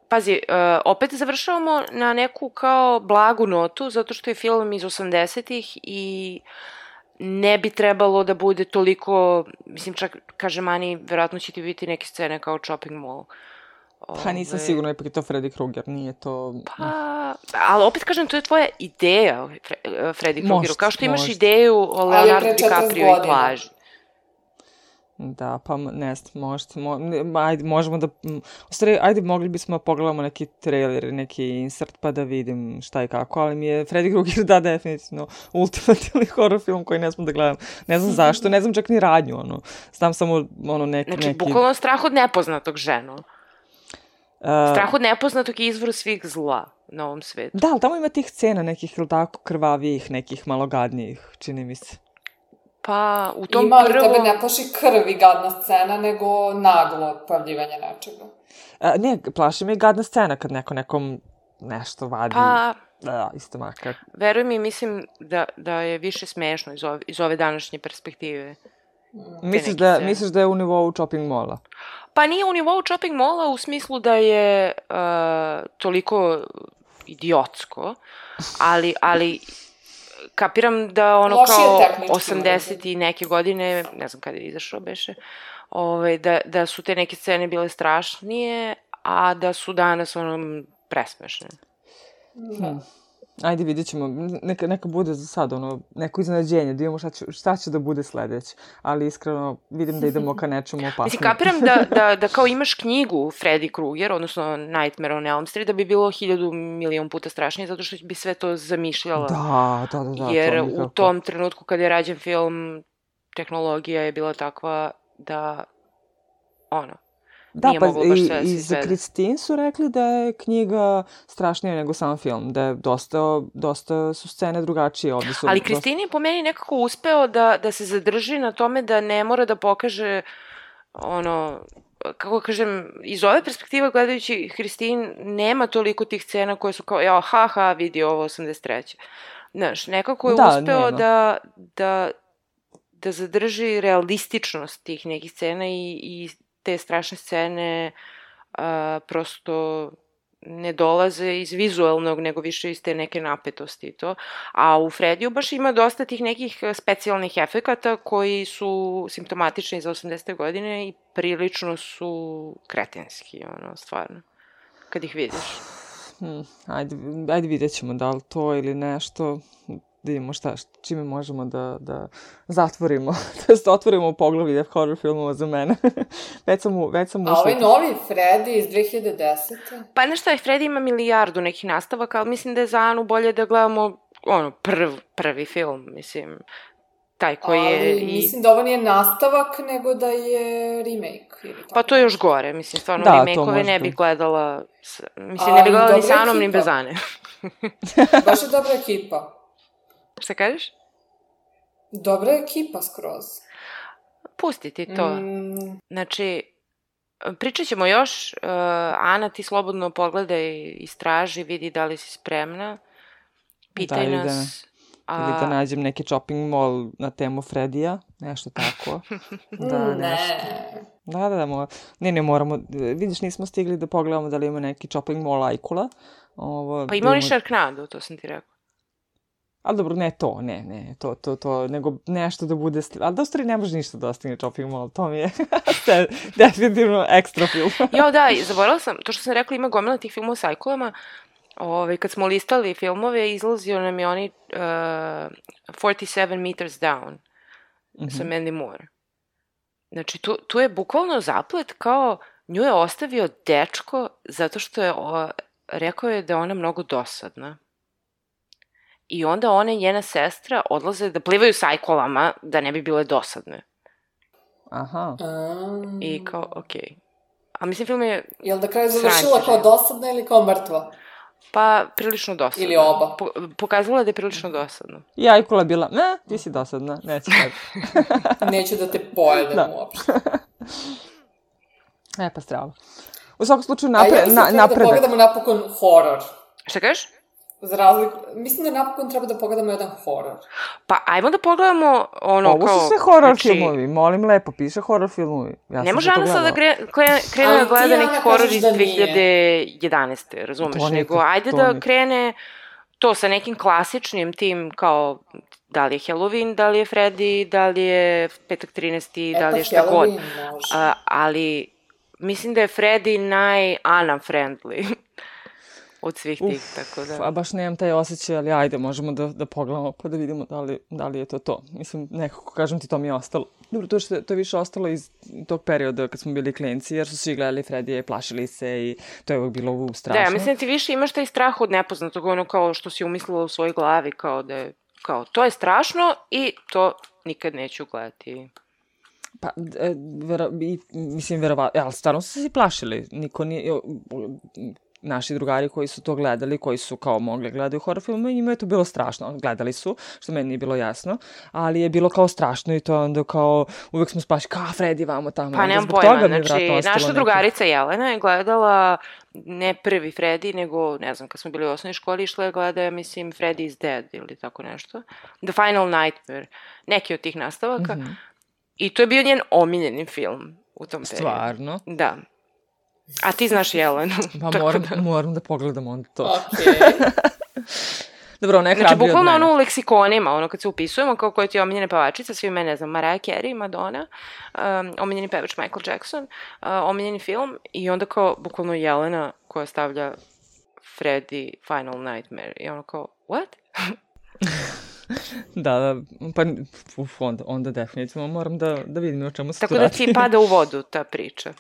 Pazi, opet završavamo na neku kao blagu notu, zato što je film iz 80-ih i ne bi trebalo da bude toliko, mislim, čak, kaže Mani, verovatno će ti biti neke scene kao Chopping Mall.
Pa nisam sigurna, ipak je to Freddy Krueger, nije to...
Ali opet kažem, to je tvoja ideja o Freddy Kruegeru, kao što imaš ideju o Leonardo DiCaprio i plaži.
Da, pa ne znam, možemo da... U stvari, mogli bismo pogledamo neki trailer, neki insert pa da vidim šta i kako, ali mi je Freddy Krueger definitivno ultimativni horror film koji ne znam da gledam. Ne znam zašto, ne znam čak ni radnju, znam samo neki...
Znači, bukvalno strah od nepoznatog, ženo. Strah od nepoznatog je izvor svih zla na ovom svetu.
Da, ali tamo ima tih scena nekih, ili tako, krvavijih, nekih malogadnijih, čini mi se.
Pa, u tom
Ima, ali
prvom...
tebe ne plaši krv i gadna scena, nego naglo pojavljivanje nečega.
Ne, plaši me gadna scena kad neko nekom nešto vadi.
Pa,
isto makar.
veruj mi, mislim da je više smešno iz ove današnje perspektive.
Misliš da je u nivou shopping mola?
Pa nije u nivou shopping mola u smislu da je toliko idiotsko, ali kapiram da ono
lošije
kao
tehnički
80 i neke godine, ne znam kada je izašao beše, da su te neke scene bile strašnije, a da su danas ono presmešne.
Ajde, vidjet ćemo. Neka bude za sad neko iznenađenje, da vidimo šta će da bude sledeće. Ali iskreno vidim da idemo ka nečemu opasnom.
Mislim, kapiram da kao imaš knjigu Freddy Krueger, odnosno Nightmare on Elm Street, da bi bilo 1000.000.000 puta strašnije, zato što bi sve to zamišljala.
Da.
Jer u tom trenutku kada je rađen film, tehnologija je bila takva da, nije moglo baš sve da se izvede.
Da, pa i za Christine su rekli da je knjiga strašnija nego sam film, da je dosta su scene drugačije.
Ali Christine je po meni nekako uspeo da se zadrži na tome da ne mora da pokaže, kako kažem, iz ove perspektive gledajući Christine nema toliko tih scena koje su kao, vidi ovo 83. Znaš, nekako je uspeo da zadrži realističnost tih nekih scena i te strašne scene prosto ne dolaze iz vizualnog, nego više iz te neke napetosti i to. A u Frediju baš ima dosta tih nekih specijalnih efekata koji su simptomatični za 80. godine i prilično su kretenski, stvarno, kad ih vidiš.
Ajde vidjet ćemo da li to ili nešto, da vidimo čime možemo da zatvorimo, da otvorimo poglavlje horror filmova za mene. već sam ušla.
A ovaj novi Freddy iz 2010.
Pa nešto je, Freddy ima milijardu nekih nastavaka, ali mislim da je za Anu bolje da gledamo prvi film, mislim, taj koji je...
Ali mislim da ovo nije nastavak, nego da je remake.
Pa to je još gore, mislim, stvarno remake-ove ne bi gledala, mislim, ne bi gledala ni sa Anom, ni bez Ane.
Baš je dobra ekipa.
Šta kažeš?
Dobra ekipa skroz.
Pusti ti to. Znači, pričat ćemo još. Ana, ti slobodno pogledaj, istraži, vidi da li si spremna. Pitaj nas.
Ili da nađem neki shopping mall na temu Fredija, nešto tako. Ne, moramo. Vidiš, nismo stigli da pogledamo da li ima neki shopping mall Ajkula.
Pa ima oni Sharknado, to sam ti rekao.
Ali dobro, ne to, nego nešto da bude... Ali da u stvari ne može ništa da ostane shopping mall, to mi je definitivno ekstra film.
Zaboravila sam, to što sam rekla, ima gomila tih filmova sa ajkulama. Kad smo listali filmove, izlazio nam je oni 47 Meters Down sa Mandy Moore. Znači, tu je bukvalno zaplet kao nju je ostavio dečko zato što je rekao je da je ona mnogo dosadna. I onda ona i njena sestra odlaze da plivaju s ajkolama da ne bi bile dosadne.
Aha.
I kao, okej. A mislim, film je...
Jel da kraju završila kao dosadna ili kao mrtva?
Pa, prilično dosadna.
Ili oba?
Pokazala da je prilično dosadna.
I ajkula bila, ti si dosadna, neće tako.
Neću da te pojedem uopšte.
Pa strava. U svakom slučaju
napredak. A ja mislim da pogledamo napokon horor.
Šta kažeš?
Za razliku, mislim da napokon treba da pogledamo jedan horor.
Pa, ajmo da pogledamo
Ovo su sve horor filmovi, molim lepo, piše horor filmovi.
Ne može Ana sada da krene da gleda neki horor iz 2011. Razumeš? Nego, ajde da krene to sa nekim klasičnim tim kao da li je Halloween, da li je Freddy, da li je Petak 13. Da li je šta god. Ali mislim da je Freddy naj-Ana-friendly od svih tih, tako da...
A baš nemam taj osjećaj, ali ajde, možemo da pogledamo pa da vidimo da li je to. Mislim, nekako, kažem ti, to mi je ostalo. Dobro, to je više ostalo iz tog perioda kad smo bili klinci, jer su svi gledali Fredija i plašili se i to je uvijek bilo strašno.
Da, mislim da ti više imaš taj strah od nepoznatog, ono kao što si umislila u svojoj glavi, kao da je, kao, to je strašno i to nikad neću gledati.
Pa, mislim, verovatno, ali stvarno su se plašili, niko nije... naši drugari koji su to gledali, koji su kao mogli gledaju horror filmove, njima je to bilo strašno. Gledali su, što meni nije bilo jasno, ali je bilo kao strašno i to onda kao uvek smo spašli, kao Freddy vamo tamo.
Pa nemam pojma, znači naša drugarica Jelena je gledala ne prvi Freddy, nego, ne znam, kad smo bili u osnovnoj školi, išla je gleda, mislim, Freddy is Dead ili tako nešto. The Final Nightmare, neki od tih nastavaka. I to je bio njen omiljeni film u tom periodu.
Stvarno?
Da. A ti znaš Jelenu.
Pa moram da pogledam onda to.
Okej.
Dobro, ona je
Znači,
hrabri od
bukvalno
mene.
ono u leksikonima, ono kad se upisujemo, kao koja ti je omiljena pevačica, svi me, ne znam, Mariah Carey, Madonna, omiljeni pevač Michael Jackson, omiljeni film, i onda kao, bukvalno Jelena koja stavlja Freddy Final Nightmare. I ono kao, what?
Da, pa onda definitivno moram da vidim o čemu se tu
Tako da
radi.
ti pada u vodu ta priča.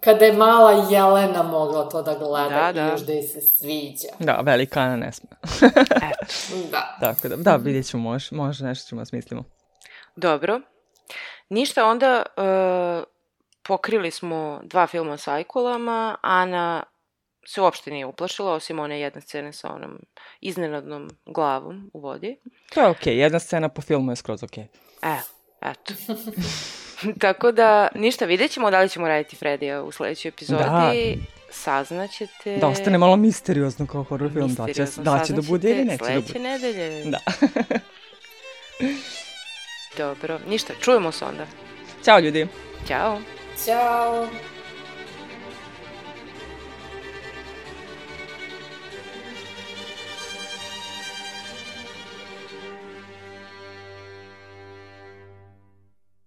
Kada je mala Jelena mogla to da gleda
Da.
i još da joj se sviđa.
Da, velika Ana ne sme.
Da.
Tako da vidjet ćemo, može nešto ćemo da smislimo.
Dobro. Ništa, onda pokrili smo 2 filma s ajkulama. Ana se uopšte nije uplašila, osim one jedne scene sa onom iznenadnom glavom u vodi.
To je okej, jedna scena po filmu je skroz okej.
Eto. Tako da, ništa, vidjet ćemo da li ćemo raditi Fredija u sledećoj epizodi.
Da.
Saznaćete...
Da ostane malo misteriozno kao horror film, da će da bude ili neće da bude.
Sledeće nedelje.
Da.
Dobro, ništa, čujemo se onda.
Ćao ljudi.
Ćao.
Ćao.